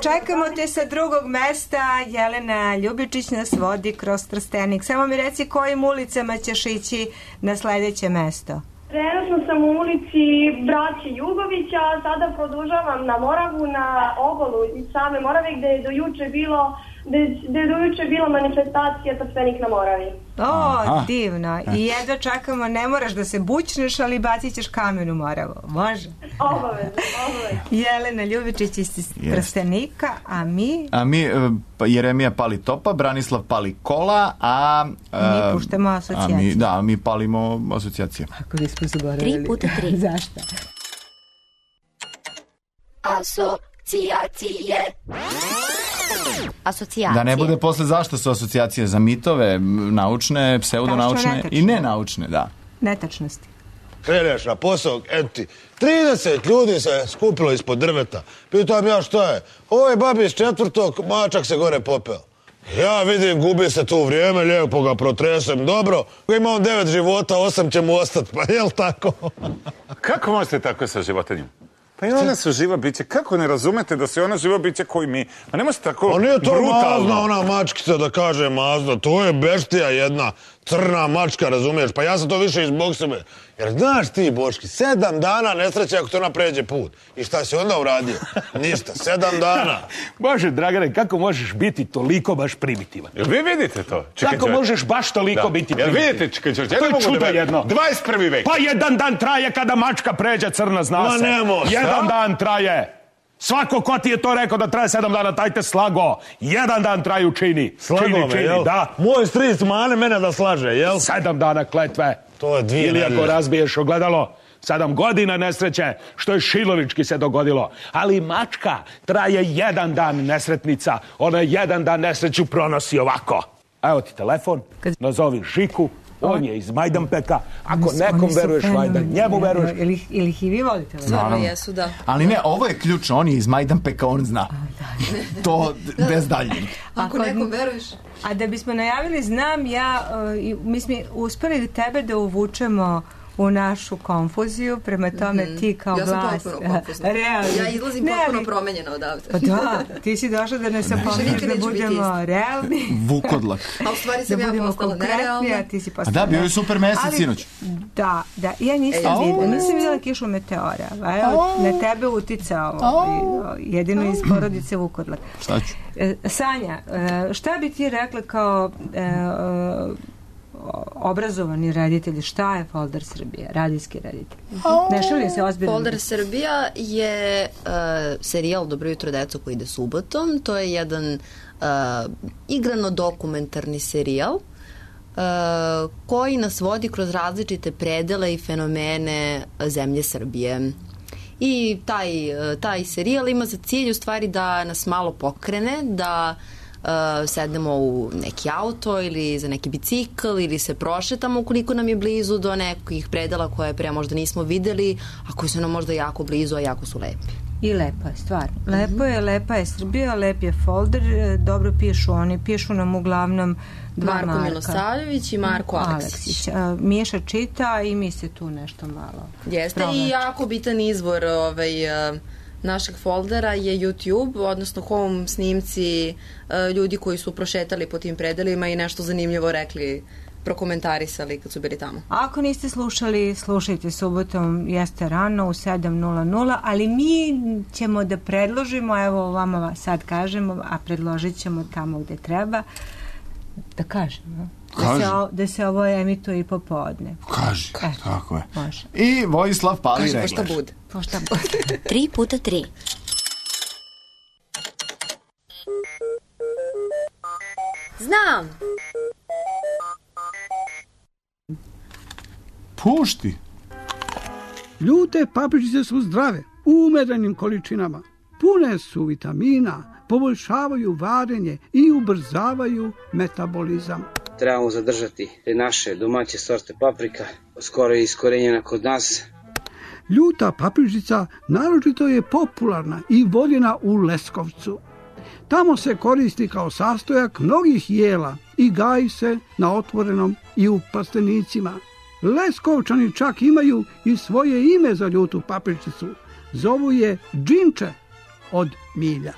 čekamo te sa drugog mesta. Jelena Ljubičić nas vodi kroz Trstenik. Samo mi reci kojim ulicama ćeš ići na sledeće mesto. Trenutno sam u ulici braće Jugovića, a sada produžavam na Moravu, na obalu iz same Morave, gde je do juče bilo gde je do juče bila manifestacija Trstenik na Moravi. O, aha, divno. I jedva čekamo, ne moraš da se bućneš, ali bacit ćeš kamen u Moravu. Može? Obavezno, obavezno. Jelena Ljubičić iz Trstenika, a mi... A mi, Jeremija pali topa, Branislav pali kola, a... Mi puštamo asocijacije. A mi, da, mi palimo asocijacije. Ako nismo zaboravili. Tri puta tri. Zašto? Asocijacije. Asocijacije. Da ne bude posle zašto su asocijacije za mitove, naučne, pseudonaučne i nenaučne, da. Netačnosti. Kreneš na posao, eto ti, trideset ljudi se skupilo ispod drveta. Pitam ja šta je? Ovo je babi iz četvrtog, mačak se gore popeo. Ja vidim, gubi se tu vrijeme, lijepo ga protresem, dobro. Ima on devet života, osam će mu ostati, pa jel tako? Kako možete tako sa životinjom? Pa i ona su živa biće. Kako ne razumete da su ona živa biće koji mi? Pa ne možete tako brutalno. Pa nije to mazna ona mačkica da kaže mazna. To je beštija jedna. Crna mačka, razumiješ? Pa ja sam to više izbog sebe. Jer znaš ti, Boški, sedam dana nesreće ako to ona pređe put. I šta si onda uradio? Ništa, sedam dana. Bože, Dragane, kako možeš biti toliko baš primitivan? Jel vi vidite to? Čekaj, kako čekaj. možeš baš toliko da. biti primitivan? Jel vidite, čekaj, čekaj, to je čudo da jedno. dvadeset prvi vek. Pa jedan dan traje kada mačka pređe crna, zna Ma se. nemo, jedan dan traje. Svako ko ti je to rekao da traje sedam dana, taj te slago. Jedan dan traju čini. Slago čini, me, čini, jel? Da. Moj stric mane mene da slaže, jel? Sedam dana kletve. To je dvije Ili ako nedelje. razbiješ ogledalo, sedam godina nesreće, što je Šilovički se dogodilo. Ali mačka traje jedan dan nesretnica. Ona jedan dan nesreću pronosi ovako. Evo ti telefon, nazovi Žiku. On je iz Majdanpeka. Ako nekom veruješ, vajda njemu veruješ. Ili, ili ih i vi volite? Stvarno jesu, da. Ali ne, ovo je ključno. On je iz Majdanpeka, on zna. To bez daljnjeg. Ako nekom veruješ. A da bismo najavili, znam ja, uh, mi smo uspeli tebe da uvučemo u našu konfuziju, prema tome mm-hmm. ti kao ja glas... Ja sam potpuno konfuzna. Ja izlazim ne, potpuno ali... promenjena odavde. Pa da, ti si došla da ne sam pomeniš da budemo realni. Vukodlak. A u stvari sam da ja postala nerealna. Ti si postala a da, bio je super mesec ali, sinoć. Da, da, ja nisam e, videla, nisam videla kišu meteora. Evo, na tebe uticao jedino iz porodice Vukodlak. Šta ću? Sanja, šta bi ti rekla kao... obrazovani reditelji, šta je Folder Srbija, radijski reditelj? Ne šalje se ozbiljno. Folder Srbija je uh, serijal Dobro jutro deco koji ide subotom. To je jedan uh, igrano-dokumentarni serijal uh, koji nas vodi kroz različite predele i fenomene zemlje Srbije. I taj, taj serijal ima za cilj u stvari da nas malo pokrene, da Uh, sednemo u neki auto ili za neki bicikl ili se prošetamo ukoliko nam je blizu do nekih predela koje pre možda nismo videli, a koji su nam možda jako blizu, a jako su lepi. I lepa je, stvarno. Lepo je, lepa je Srbija, lep je Folder, dobro pišu oni, pišu nam uglavnom dva Marko Marka. Milosavljević i Marko Aleksić. Aleksić. Uh, Miša čita i mi se tu nešto malo jeste pronači. I jako bitan izvor ovaj... Uh, našeg foldera je YouTube, odnosno home snimci uh, ljudi koji su prošetali po tim predelima i nešto zanimljivo rekli prokomentarisali kad su bili tamo. Ako niste slušali, slušajte subotom, jeste rano u sedam nula nula, ali mi ćemo da predložimo, evo vama sad kažemo, a predložit ćemo tamo gde treba, da kažemo. Da se, o, da se ovo emituje i popodne. Kaži, e, tako je. Može. I Vojislav pali regler. Kaži, pošta bude. Pošta bude. Tri puta tri. Znam! Pušti. Ljute papričice su zdrave, u umerenim količinama. Pune su vitamina, poboljšavaju varenje i ubrzavaju metabolizam. Trebamo zadržati te naše domaće sorte paprika, skoro je iskorenjena kod nas. Ljuta papričica naročito je popularna i voljena u Leskovcu. Tamo se koristi kao sastojak mnogih jela i gaji se na otvorenom i u plastenicima. Leskovčani čak imaju i svoje ime za ljutu papričicu. Zovu je džinče od milja.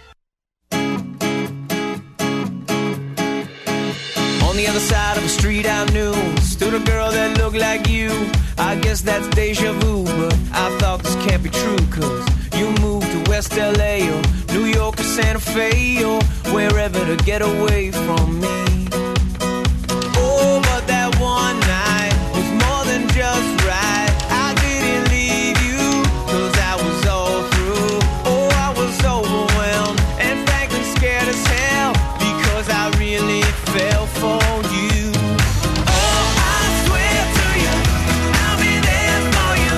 On the other side of the street I knew stood a girl that looked like you. I guess that's deja vu, but I thought this can't be true, cause you moved to West L A or New York or Santa Fe or wherever to get away from me. Oh, but that one night was more than just right. I didn't leave you, cause I was all through. Oh, I was overwhelmed and frankly scared as hell, because I really fell for you. Oh, I swear to you, I'll be there for you.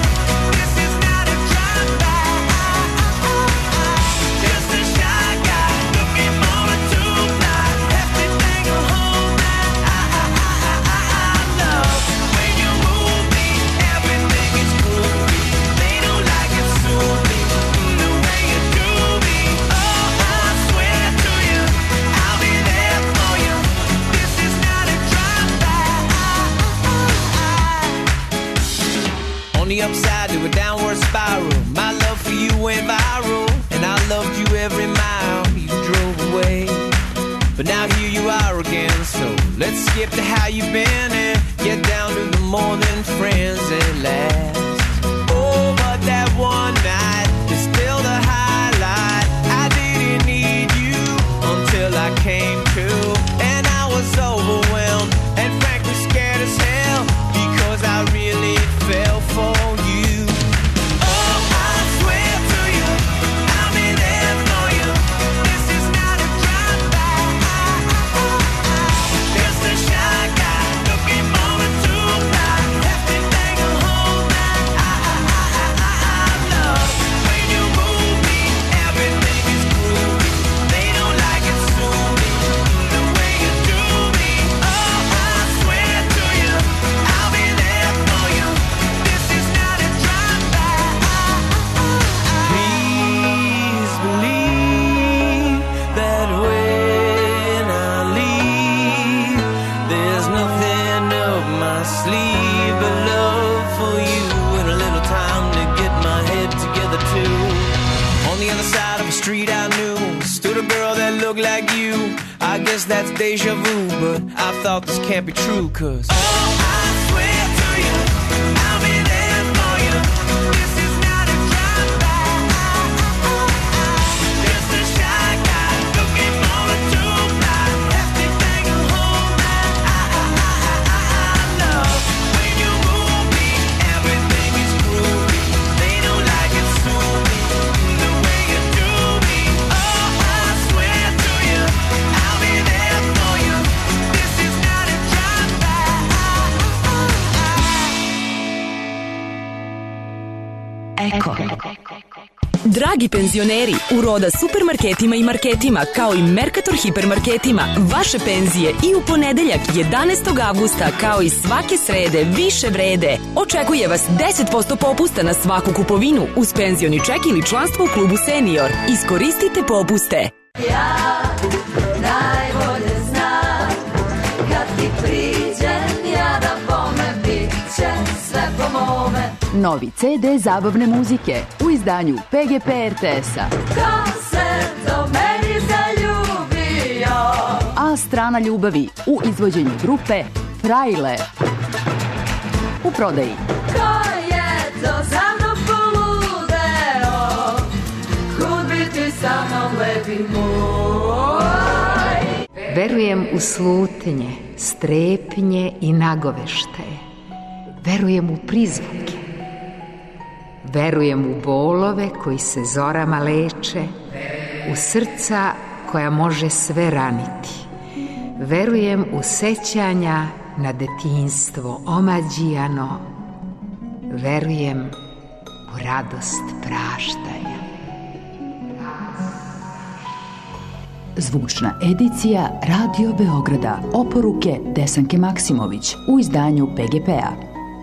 This is not a drive-by, just a shy guy looking for a two-fly. Everything will hold that I, I, I, I, I love. When you move me, everything is groovy. They don't like it, sue me, the way you do me. Oh, I swear to you, I'll be there for you. This is not a drive-by. On the upside to a downward spiral, my love for you went viral, and I loved you every mile you drove away. But now here you are again, so let's skip to how you've been and get down to the more than friends at last. Oh, but that one night is still the highlight. I didn't need you until I came to, and I was overwhelmed and frankly scared as hell, because I really fell for you. Oh, I swear to you, I'll be there for you. This is not a drive-by, just a shy guy looking for a two-fly. Everything will hold that I, I, I, I, I love. When you move me, everything is groovy. They don't like it, sue me, the way you do me. Oh, I swear to you, I'll be there for you. This is not a drive-by. Please believe that when I leave, there's nothing up my sleeve but love for you and a little time to get my head together too. On the other side of the street I knew stood a girl that looked like you. I guess that's deja vu, but I thought this can't be true, cause oh, I swear to you, I'll be there for you. This is not a drive-by, just a shy guy looking for a two-fly. Everything will hold that I, I, I, I, I love. When you move me, everything is groovy. They don't like it, sue me, the way you do me. Oh, I swear to you, I'll be there for you. This is not a drive-by. Eko. Dragi penzioneri, u Roda supermarketima i marketima, kao i Mercator hipermarketima, vaše penzije i u ponedeljak jedanaestog avgusta, kao i svake srede, više vrede. Očekuje vas deset posto popusta na svaku kupovinu uz penzioni ček ili članstvo u klubu Senior. Iskoristite popuste. Ja najbolje znam, kad ti priđem, ja da bome, bit će sve po mome. Novi ce de zabavne muzike u izdanju pe ge pe er te es-a. Ko se do meni zaljubio? A strana ljubavi u izvođenju grupe Frajle. U prodaji. Ko je to za mnom poludeo, kud bi ti sa mnom lepi moj. Verujem u slutnje, strepnje i nagoveštaje. Verujem u prizvuke. Verujem u bolove koji se zorama leče, u srca koja može sve raniti. Verujem u sećanja na detinjstvo omađijano. Verujem u radost praštanja. Zvučna edicija Radio Beograda. Oporuke Desanke Maksimović u izdanju P G P-a.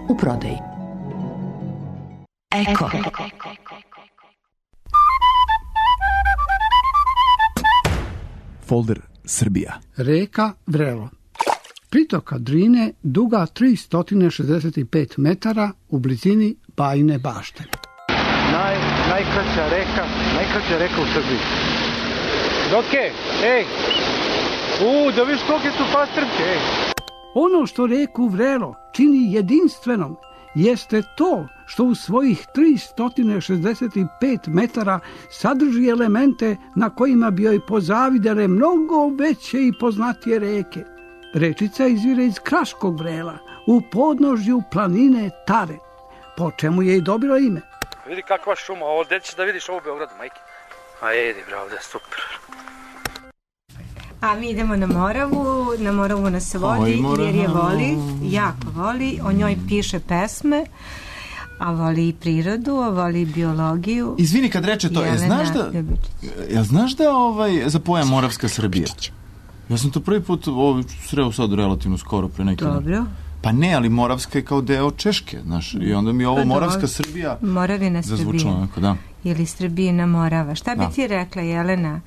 U prodaji. Eko. Folder Srbija. Reka Vrelo. Pritoka Drine duga tristo šezdeset pet metara u blizini Bajine Bašte. Naj, najkraća reka, najkraća reka u Srbiji. Doke, ej, u, da viš kolike su pastrmke, ej. Ono što reku Vrelo čini jedinstvenom jeste to što u svojih tristo šezdeset pet metara sadrži elemente na kojima bi joj pozavidele mnogo veće i poznatije reke. Rečica izvire iz Kraškog Vrela, u podnožju planine Tare, po čemu je i dobila ime. Vidi kakva šuma, ovo gde ćeš da vidiš ovo u Beogradu, majke? A jedi, bravo, da je super. A mi idemo na Moravu, na Moravu nas vodi jer je voli, jako voli, o njoj piše pesme, a voli i prirodu, a voli i biologiju. Izvini kad reče to, ja znaš da, ja znaš da ovaj, za pojam Moravska Srbija? Ja sam to prvi put ovaj, sreo sad relativno skoro pre neki dan. Dobro. Pa ne, ali Moravska je kao deo Češke, znaš, i onda mi ovo pa Moravska Srbija Moravina zazvučalo onako, da. Ili Srbijina Morava. Šta bi da. ti rekla, Jelena?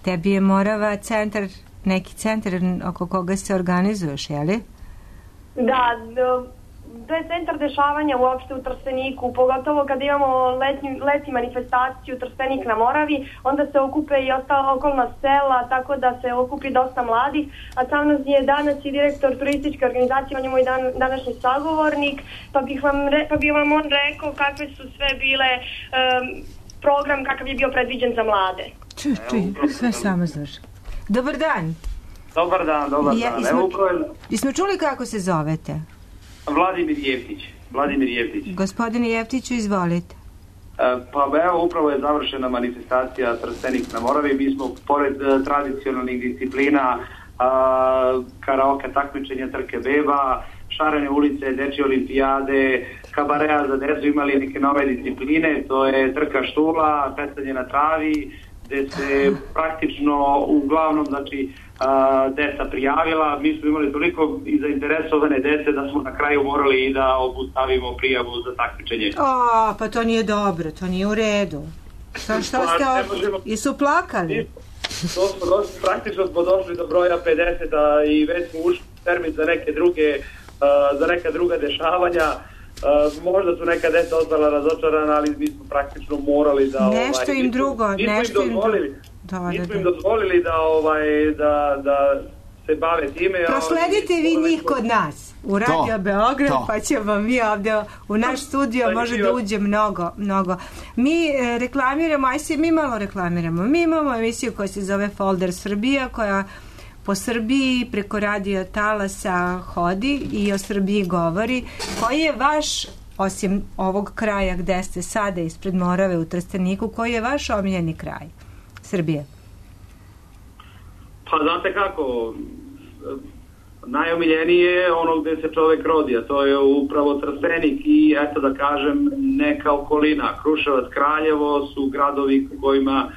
Tebi je Morava centar, neki centar oko koga se organizuješ, je li? Da, to je centar dešavanja uopšte u Trsteniku, pogotovo kad imamo letnju, letnju manifestaciju Trstenik na Moravi, onda se okupe i ostala okolna sela, tako da se okupi dosta mladih, a sam nas je danas i direktor turističke organizacije, on je moj dan, današnji sagovornik, pa bih vam, re, pa bih vam on rekao kakve su sve bile um, program kakav je bio predviđen za mlade. Čuj, čuj, sve samo znaš. Dobar dan. Dobar dan, dobar ja, dan. Ismo, Evo upravo... Ismo čuli kako se zovete? Vladimir Jeftić. Vladimir Jeftić. Gospodine Jeftiću, izvolite. E, pa evo, upravo je završena manifestacija Trstenik na Moravi. Mi smo, pored uh, tradicionalnih disciplina, uh, karaoke takmičenja, trke beba, šarene ulice, dečje olimpijade, kabareja za decu, imali neke nove discipline, to je trka štula, pecanje na travi, gde se praktično uglavnom, znači, Uh, deca prijavila, mi smo imali toliko i zainteresovane dece da smo na kraju morali i da obustavimo prijavu za takmičenje. A, pa to nije dobro, to nije u redu. Šta, šta ste ovdje? I su plakali? To smo došli, praktično smo došli do broja pedeset i već smo ušli termin za neke druge, uh, za neka druga dešavanja. Uh, možda su neka deca ostala razočarana, ali mi smo praktično morali da... Nešto ovaj, im drugo, nešto im drugo. Da, nismo da, im da. dozvolili da, ovaj, da, da se bave time. Prosledite vi njih kod nas u Radio to, Beograd, to. Pa ćemo mi ovdje u naš studio, može da uđe mnogo, mnogo. Mi e, reklamiramo, aj se mi malo reklamiramo. Mi imamo emisiju koja se zove Folder Srbija, koja po Srbiji preko radio talasa hodi i o Srbiji govori. Koji je vaš, osim ovog kraja gde ste sada ispred Morave u Trsteniku, koji je vaš omiljeni kraj Srbije? Pa znate kako, najomiljeniji je ono gde se čovek rodi, a to je upravo Trstenik i eto da kažem neka okolina. Kruševac, Kraljevo su gradovi u kojima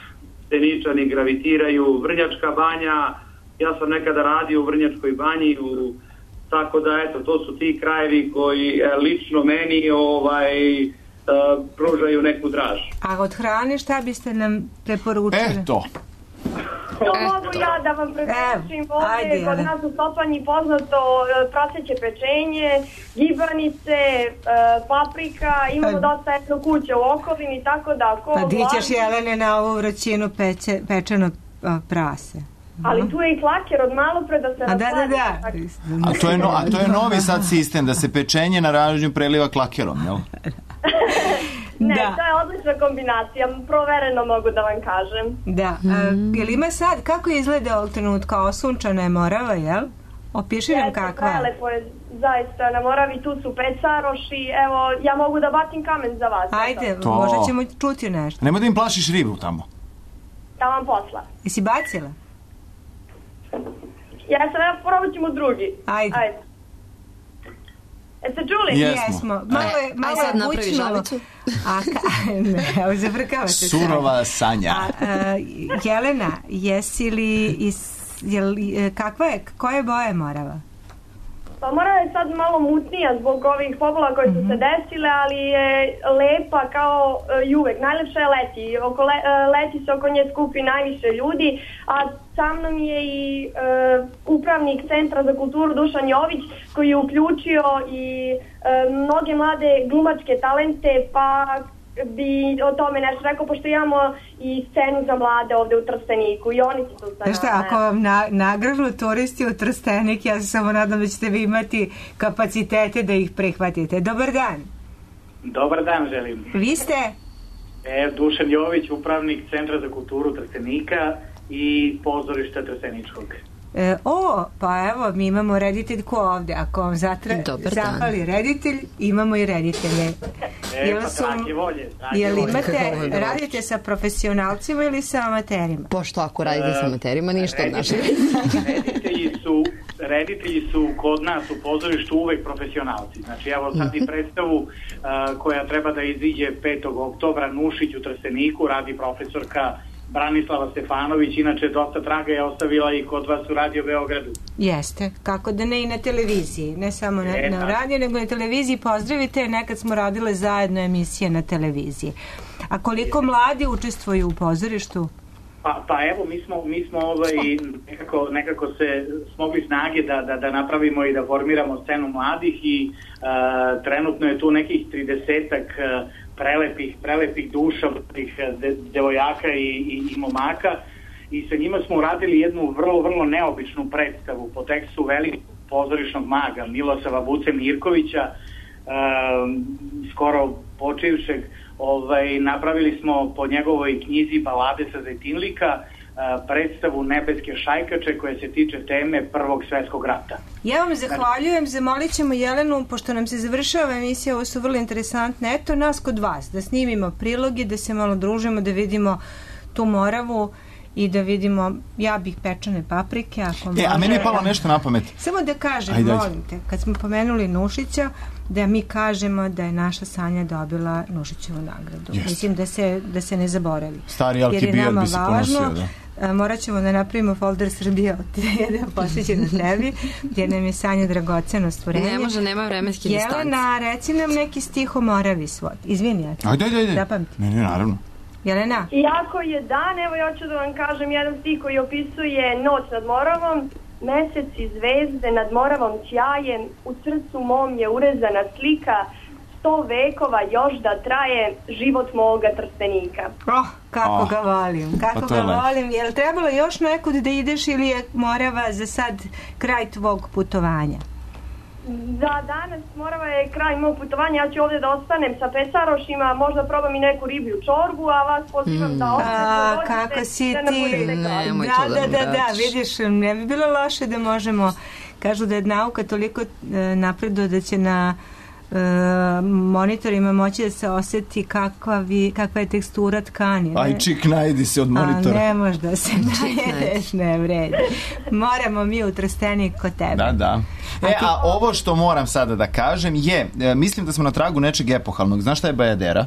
Steničani gravitiraju, Vrnjačka banja, ja sam nekada radio u Vrnjačkoj banji, u, tako da eto to su ti krajevi koji e, lično meni ovaj, e, pružaju neku draž. A od hrane šta biste nam preporučili? Eto. To mogu ja da vam preporučim ovdje, kod nas u Sopanji poznato praseće pečenje, gibanice, paprika, imamo dosta etno kuća u okolini, tako da... Ko pa di ćeš, Jelene, na ovu vrućinu peče, pečeno prase? Ali tu je i klaker od malo pre da se A da, da, da. A to je, no, a to je novi sad sistem, da se pečenje na ražnju preliva klakerom, jel? Ne, Da. to je odlična kombinacija, provereno mogu da vam kažem. Da. A, jel ima sad, kako izgleda ovog trenutka? Osunčana je Morava, jel? Opiši nam kakva. Prelepo je, zaista, na Moravi tu su pecaroši, evo, ja mogu da bacim kamen za vas. Ajde, To. možda ćemo čuti nešto. Nemoj da im plašiš ribu tamo. Da vam posla. Jesi bacila? Ja sam, evo, probat ćemo drugi. Ajde. Ajde. Jeste čuli? Jesmo. Malo je, malo Aj, sad je napravi bućnulo. žabicu. A, ka, ne, evo, zavrkavate se. Surova sanja. A, a, Jelena, jesi li iz, jel, kakva je, koje boje je Morava? Pa Morava je sad malo mutnija zbog ovih pobola koje su se desile, ali je lepa kao uh, i uvek. Najlepše je leti. Oko le, uh, leti se oko nje skupi najviše ljudi, a sa mnom je i uh, upravnik Centra za kulturu Dušan Jović, koji je uključio i uh, mnoge mlade glumačke talente, pa bi o tome nešto rekao, pošto imamo i scenu za mlade ovde u Trsteniku i oni su tu sa Znaš šta, nama. ako vam na, nagranu turisti u Trstenik, ja se samo nadam da ćete vi imati kapacitete da ih prihvatite. Dobar dan. Dobar dan želim. Vi ste? E, Dušan Jović, upravnik Centra za kulturu Trstenika i pozorišta Trsteničkog. E, o, pa evo, mi imamo rediteljku ovde. Ako vam zatra, Dobar dan. zapali reditelj, imamo i reditelje. E, Jel pa su- drage volje. drage Jel volje. imate, radite sa profesionalcima ili sa amaterima? Pošto ako radite sa amaterima, ništa od našeg. Reditelji su, reditelji su kod nas u pozorištu uvek profesionalci. Znači, evo sad i predstavu uh, koja treba da iziđe petog oktobra, Nušić u Trsteniku, radi profesorka Branislava Stefanović, inače dosta traga je ostavila i kod vas u Radio Beogradu. Jeste, kako da ne i na televiziji, ne samo na, E, na tako. radiju, nego i na televiziji. Pozdravite, nekad smo radile zajedno emisije na televiziji. A koliko mladi učestvuju u pozorištu? Pa, pa evo, mi smo, mi smo ovaj, nekako, nekako se smogli snage da, da, da napravimo i da formiramo scenu mladih i uh, trenutno je tu nekih tridesetak uh, prelepih, prelepih duša, tih de, devojaka i, i, i momaka i sa njima smo uradili jednu vrlo, vrlo neobičnu predstavu po tekstu velikog pozorišnog maga Milosava Vuce Mirkovića, um, skoro počivšeg. Ovaj, napravili smo po njegovoj knjizi Balade sa Zejtinlika uh, predstavu Nebeske šajkače koja se tiče teme Prvog svetskog rata. Ja vam zahvaljujem, zamolit ćemo Jelenu, pošto nam se završava emisija, ovo su vrlo interesantne, eto nas kod vas, da snimimo priloge, da se malo družimo, da vidimo tu Moravu i da vidimo, ja bih pečene paprike, ako može. E, a meni je palo nešto na pamet. Samo da kažem, Ajde, ajde. molim te, kad smo pomenuli Nušića, da mi kažemo da je naša Sanja dobila Nušićevu nagradu. Jeste. Mislim da se, da se ne zaboravi. Stari Alki Jer je Bijel nama bi se važno, ponosio, da. a, morat ćemo da napravimo folder Srbije od jedan posvećen na tebi, jer nam je Sanja dragoceno stvorenje. Ne može, nema vremenske distanci. Jelena, reci nam neki stih o Moravi svoj. Izvini, ja ti. Ajde, ajde, ajde. Zapamti. Ne, ne, naravno. Jelena? Iako je dan, evo ja ću da vam kažem jedan stih koji opisuje noć nad Moravom. Mesec i zvezde nad Moravom sjajem, u srcu mom je urezana slika, sto vekova još da traje život moga Trstenika. Oh, kako Oh. ga volim, kako Pa to ga je lepo. volim. Je li trebalo još nekud da ideš ili je Morava za sad kraj tvog putovanja? Za danas Morava je kraj mog putovanja, ja ću ovdje da ostanem sa pecarošima, možda probam i neku riblju čorbu, a vas pozivam da ostanete. A, dođete, kako si da nam ti? budete kraj. Da, da, da, da, vidiš, ne bi bilo loše da možemo, kažu da je nauka toliko e, napreduje da će na e, monitorima moći da se osjeti kakva, vi, kakva je tekstura tkani. ne? Aj, čik, najdi se od monitora. A ne možda se najedeš, ne vredi. Moramo mi u Trstenik kod tebe. Da, da. E, a ovo što moram sada da kažem je, e, mislim da smo na tragu nečeg epohalnog. Znaš šta je bajadera?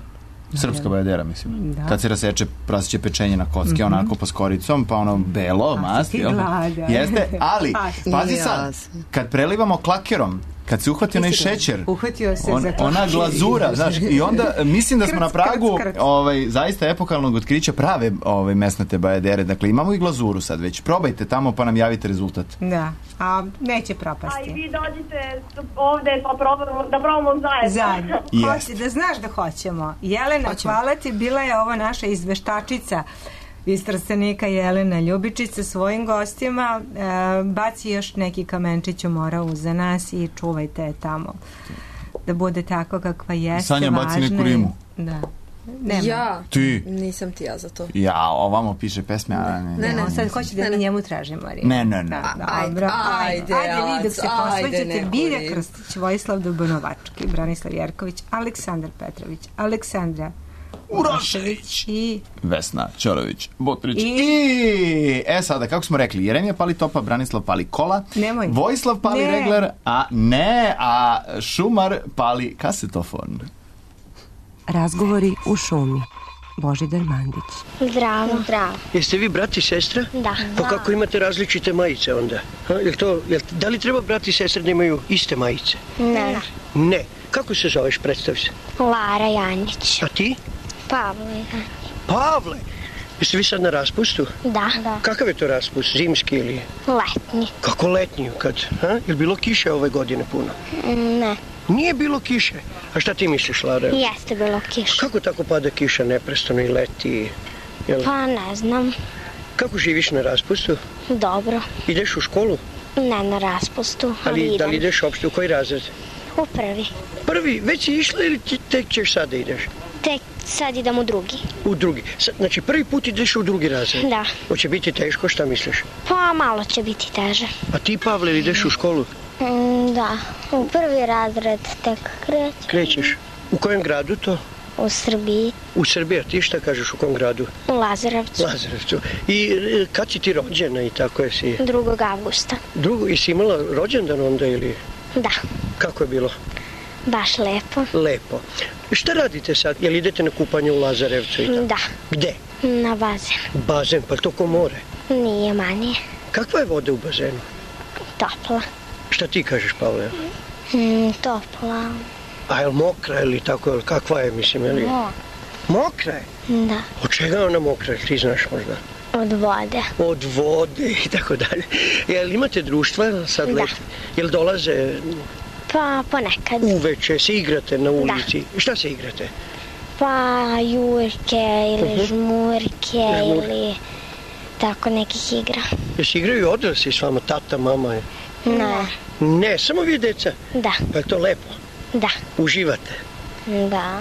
Srpska bajadera, mislim. Da. Kad se raseče prasiće pečenje na kocke, Mhm. onako pa s koricom, pa ono belo, mast, ti jel? gladan. Jeste, ali, Pa, pazi nije sad, jasno. kad prelivamo klakerom, kad se uhvati onaj šećer, Uhvatio se on, za ona klaker. glazura, znaš, i onda e, mislim da smo na Krc, krc, pragu krc. ovaj, zaista epohalnog otkrića prave ovaj, mesnate bajadere. Dakle, imamo i glazuru sad već. Probajte tamo pa nam javite rezultat. Da, a neće A propasti. i vi dođite ovdje pa probamo, da probamo zajedno. Zajedno. Jeste. Hoće, da znaš da hoćemo. Jelena, Hoćemo. hvala ti, bila je ovo naša izveštačica iz Trstenika Jelena Ljubičić sa svojim gostima. E, baci još neki kamenčić u moravu za nas i čuvajte je tamo. Da bude tako kakva jeste. Sanja, baci neku rimu. Da. Nema. Ja? Ti? Nisam ti ja za to. Ja, ovamo piše pesme, a ne. Ne, ne, sad hoće da mi njemu tražimo rimu. Ne, ne, ne. Dobro, ajde, ajde, vi dok se posvećate, Bilja rimu. Krstić, Vojislav Dubanovački, Branislav Jerković, Aleksandar Petrović, Aleksandra Urašević i Vesna Ćorović Botrić I... i... E sada, kako smo rekli, Jeremija pali topa, Branislav pali kola, Nemoj. Vojislav pali Ne. regler, a ne, a Šumar pali kasetofon. Razgovori u šumi. Božidar Mandić. Zdravo. Zdravo. Jeste vi brat i sestra? Da. Pa kako imate različite majice onda? Ha, jel to, jel, da li treba brat i sestra da imaju iste majice? Ne. Ne. Kako se zoveš, predstavi se? Lara Janjić. A ti? Pavle. Pavle. Jeste vi sad na raspustu? Da. Da. Kakav je to raspust? Zimski ili? Letnji. Kako letnji? Kad? Ha? Je bilo kiše ove godine puno? Ne. Nije bilo kiše. A šta ti misliš, Lara? Jeste bilo kiša. Kako tako pada kiša neprestano i leti? Jel? Pa ne znam. Kako živiš na raspustu? Dobro. Ideš u školu? Ne na raspustu, ali, Ali idem. da li ideš uopšte u koji razred? U prvi. Prvi, već si išla ili ti tek ćeš sad da ideš? Tek sad idem u drugi. U drugi. Sad, znači prvi put ideš u drugi razred? Da. Hoće biti teško, šta misliš? Pa malo će biti teže. A ti, Pavle, ili ideš u školu? Mm, da. U prvi razred tek krećem. Krećeš. U kojem gradu to? U Srbiji. U Srbiji, a ti šta kažeš u kom gradu? U Lazarevcu. Lazarevcu. I e, kad si ti rođena i tako je si? drugog avgusta. Drugo, i si imala rođendan onda ili? Da. Kako je bilo? Baš lepo. Lepo. Šta radite sad? Jel idete na kupanje u Lazarevcu i tako? Da. Gde? Na bazen. Bazen, pa to ko more? Nije manje. Kakva je voda u bazenu? Topla. Šta ti kažeš, Pavle? Mm, topla. A je li mokra ili tako, jel kakva je, mislim, je li? Mo. Mokra je? Da. Od čega je ona mokra, ti znaš možda? Od vode. Od vode i tako dalje. Jel imate društva sad Da. leti? Jel dolaze Pa ponekad. uveče, se igrate na ulici? Šta se igrate? Pa jurke ili Mhm. žmurke Žmur. ili tako nekih igra. Jel se igraju odrasli s vama, tata, mama? Ne. Ne, samo vi deca? Da. Pa je to lepo? Da. Uživate? Da.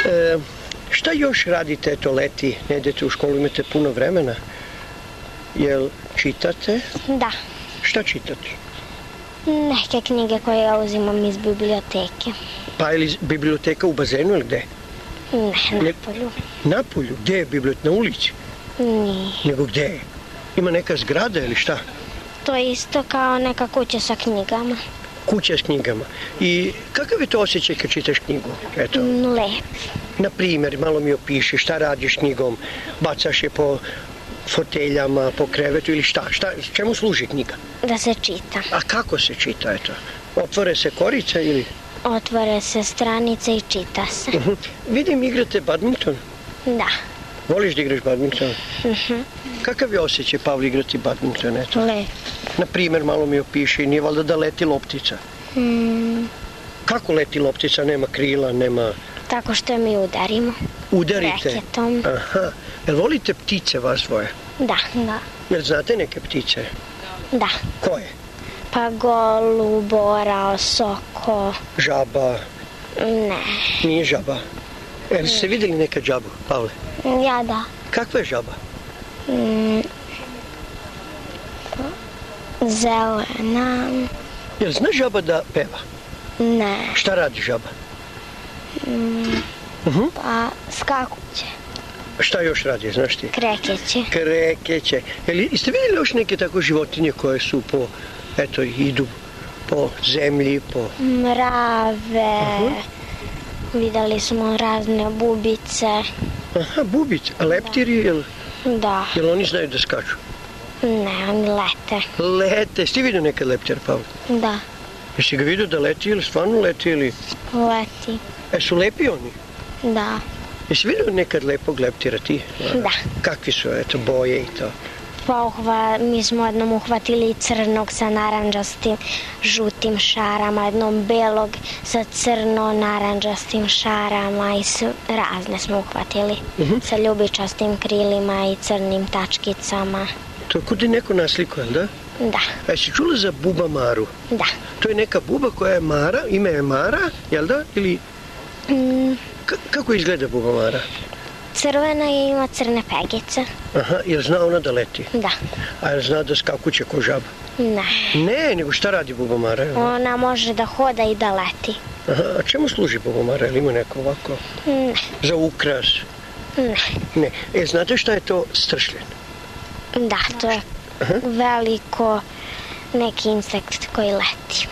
E, šta još radite, eto leti, ne idete u školu, imate puno vremena? Jel čitate? Da. Šta čitate? Neke knjige koje ja uzimam iz biblioteke. Pa je li biblioteka u bazenu ili gde? Ne, na polju. Na polju? Gde je biblioteka? Na ulici? Nije. Nego gde je? Ima neka zgrada ili šta? To je isto kao neka kuća sa knjigama. Kuća s knjigama. I kakav je to osjećaj kad čitaš knjigu? Eto. Mm, Lep. Na primjer, malo mi opiši šta radiš knjigom, bacaš je po foteljama, po krevetu ili šta? Šta, čemu služi knjiga? Da se čita. A kako se čita, eto? Otvore se korica ili? Otvore se stranice i čita se. Uh -huh. Vidim, igrate badminton. Da. Voliš da igraš badminton? Mhm. Kakav je osjećaj, Pavle, igrati badminton, eto? Lep. Na primjer, malo mi opiši, nije valjda da leti loptica? Mm, Kako leti loptica? Nema krila, nema... tako što mi udarimo. Udarite? Reketom. Aha. Jel volite ptice vas dvoje? Da, da. Jel znate neke ptice? Da. Koje? Pa golub, orao, soko. Žaba? Ne. Nije žaba. Jel ste vidjeli neka žabu, Pavle? Ja da. Kakva je žaba? Mm, zelena. Jel zna žaba da peva? Ne. Šta radi žaba? Mm, Uh-huh. pa skakuće. Šta još radi, znaš ti? Krekeće. Krekeće. Jel jeste vidjeli još neke tako životinje koje su po, eto, idu po zemlji, po... Mrave. Uh-huh. Vidjeli smo razne bubice. Aha, bubice. A leptiri, jel, Da. jel oni znaju da skaču? Ne, oni lete. Lete. Jesi ti vidio nekad leptira, Pavle? Da. Jesi ga vidio da leti ili stvarno leti ili... Leti. E, su lepi oni? Da. Jesi vidio nekad lepog leptira ti? Da. Kakvi su, eto, boje i to? Pa uhva, mi smo jednom uhvatili crnog sa naranđastim, žutim šarama, jednom belog sa crno-naranđastim šarama i s, razne smo uhvatili. Uh-huh. Sa ljubičastim krilima i crnim tačkicama. To je kod je neko nasliko, jel da? Da. A jesi čula za buba Maru? Da. To je neka buba koja je Mara, ime je Mara, jel da? Ili... Mm. K- kako izgleda buba Mara? Crvena je, ima crne pegice. Aha, jel zna ona da leti? Da. A jel zna da skakuće ko žaba? Ne. Ne, nego šta radi buba Mara? Jel? Ona može da hoda i da leti. Aha, a čemu služi buba Mara? Jel ima neko ovako? Ne. Za ukras? Ne. Ne. E, znate šta je to stršljen? Da, to je Aha. veliko neki insekt koji leti.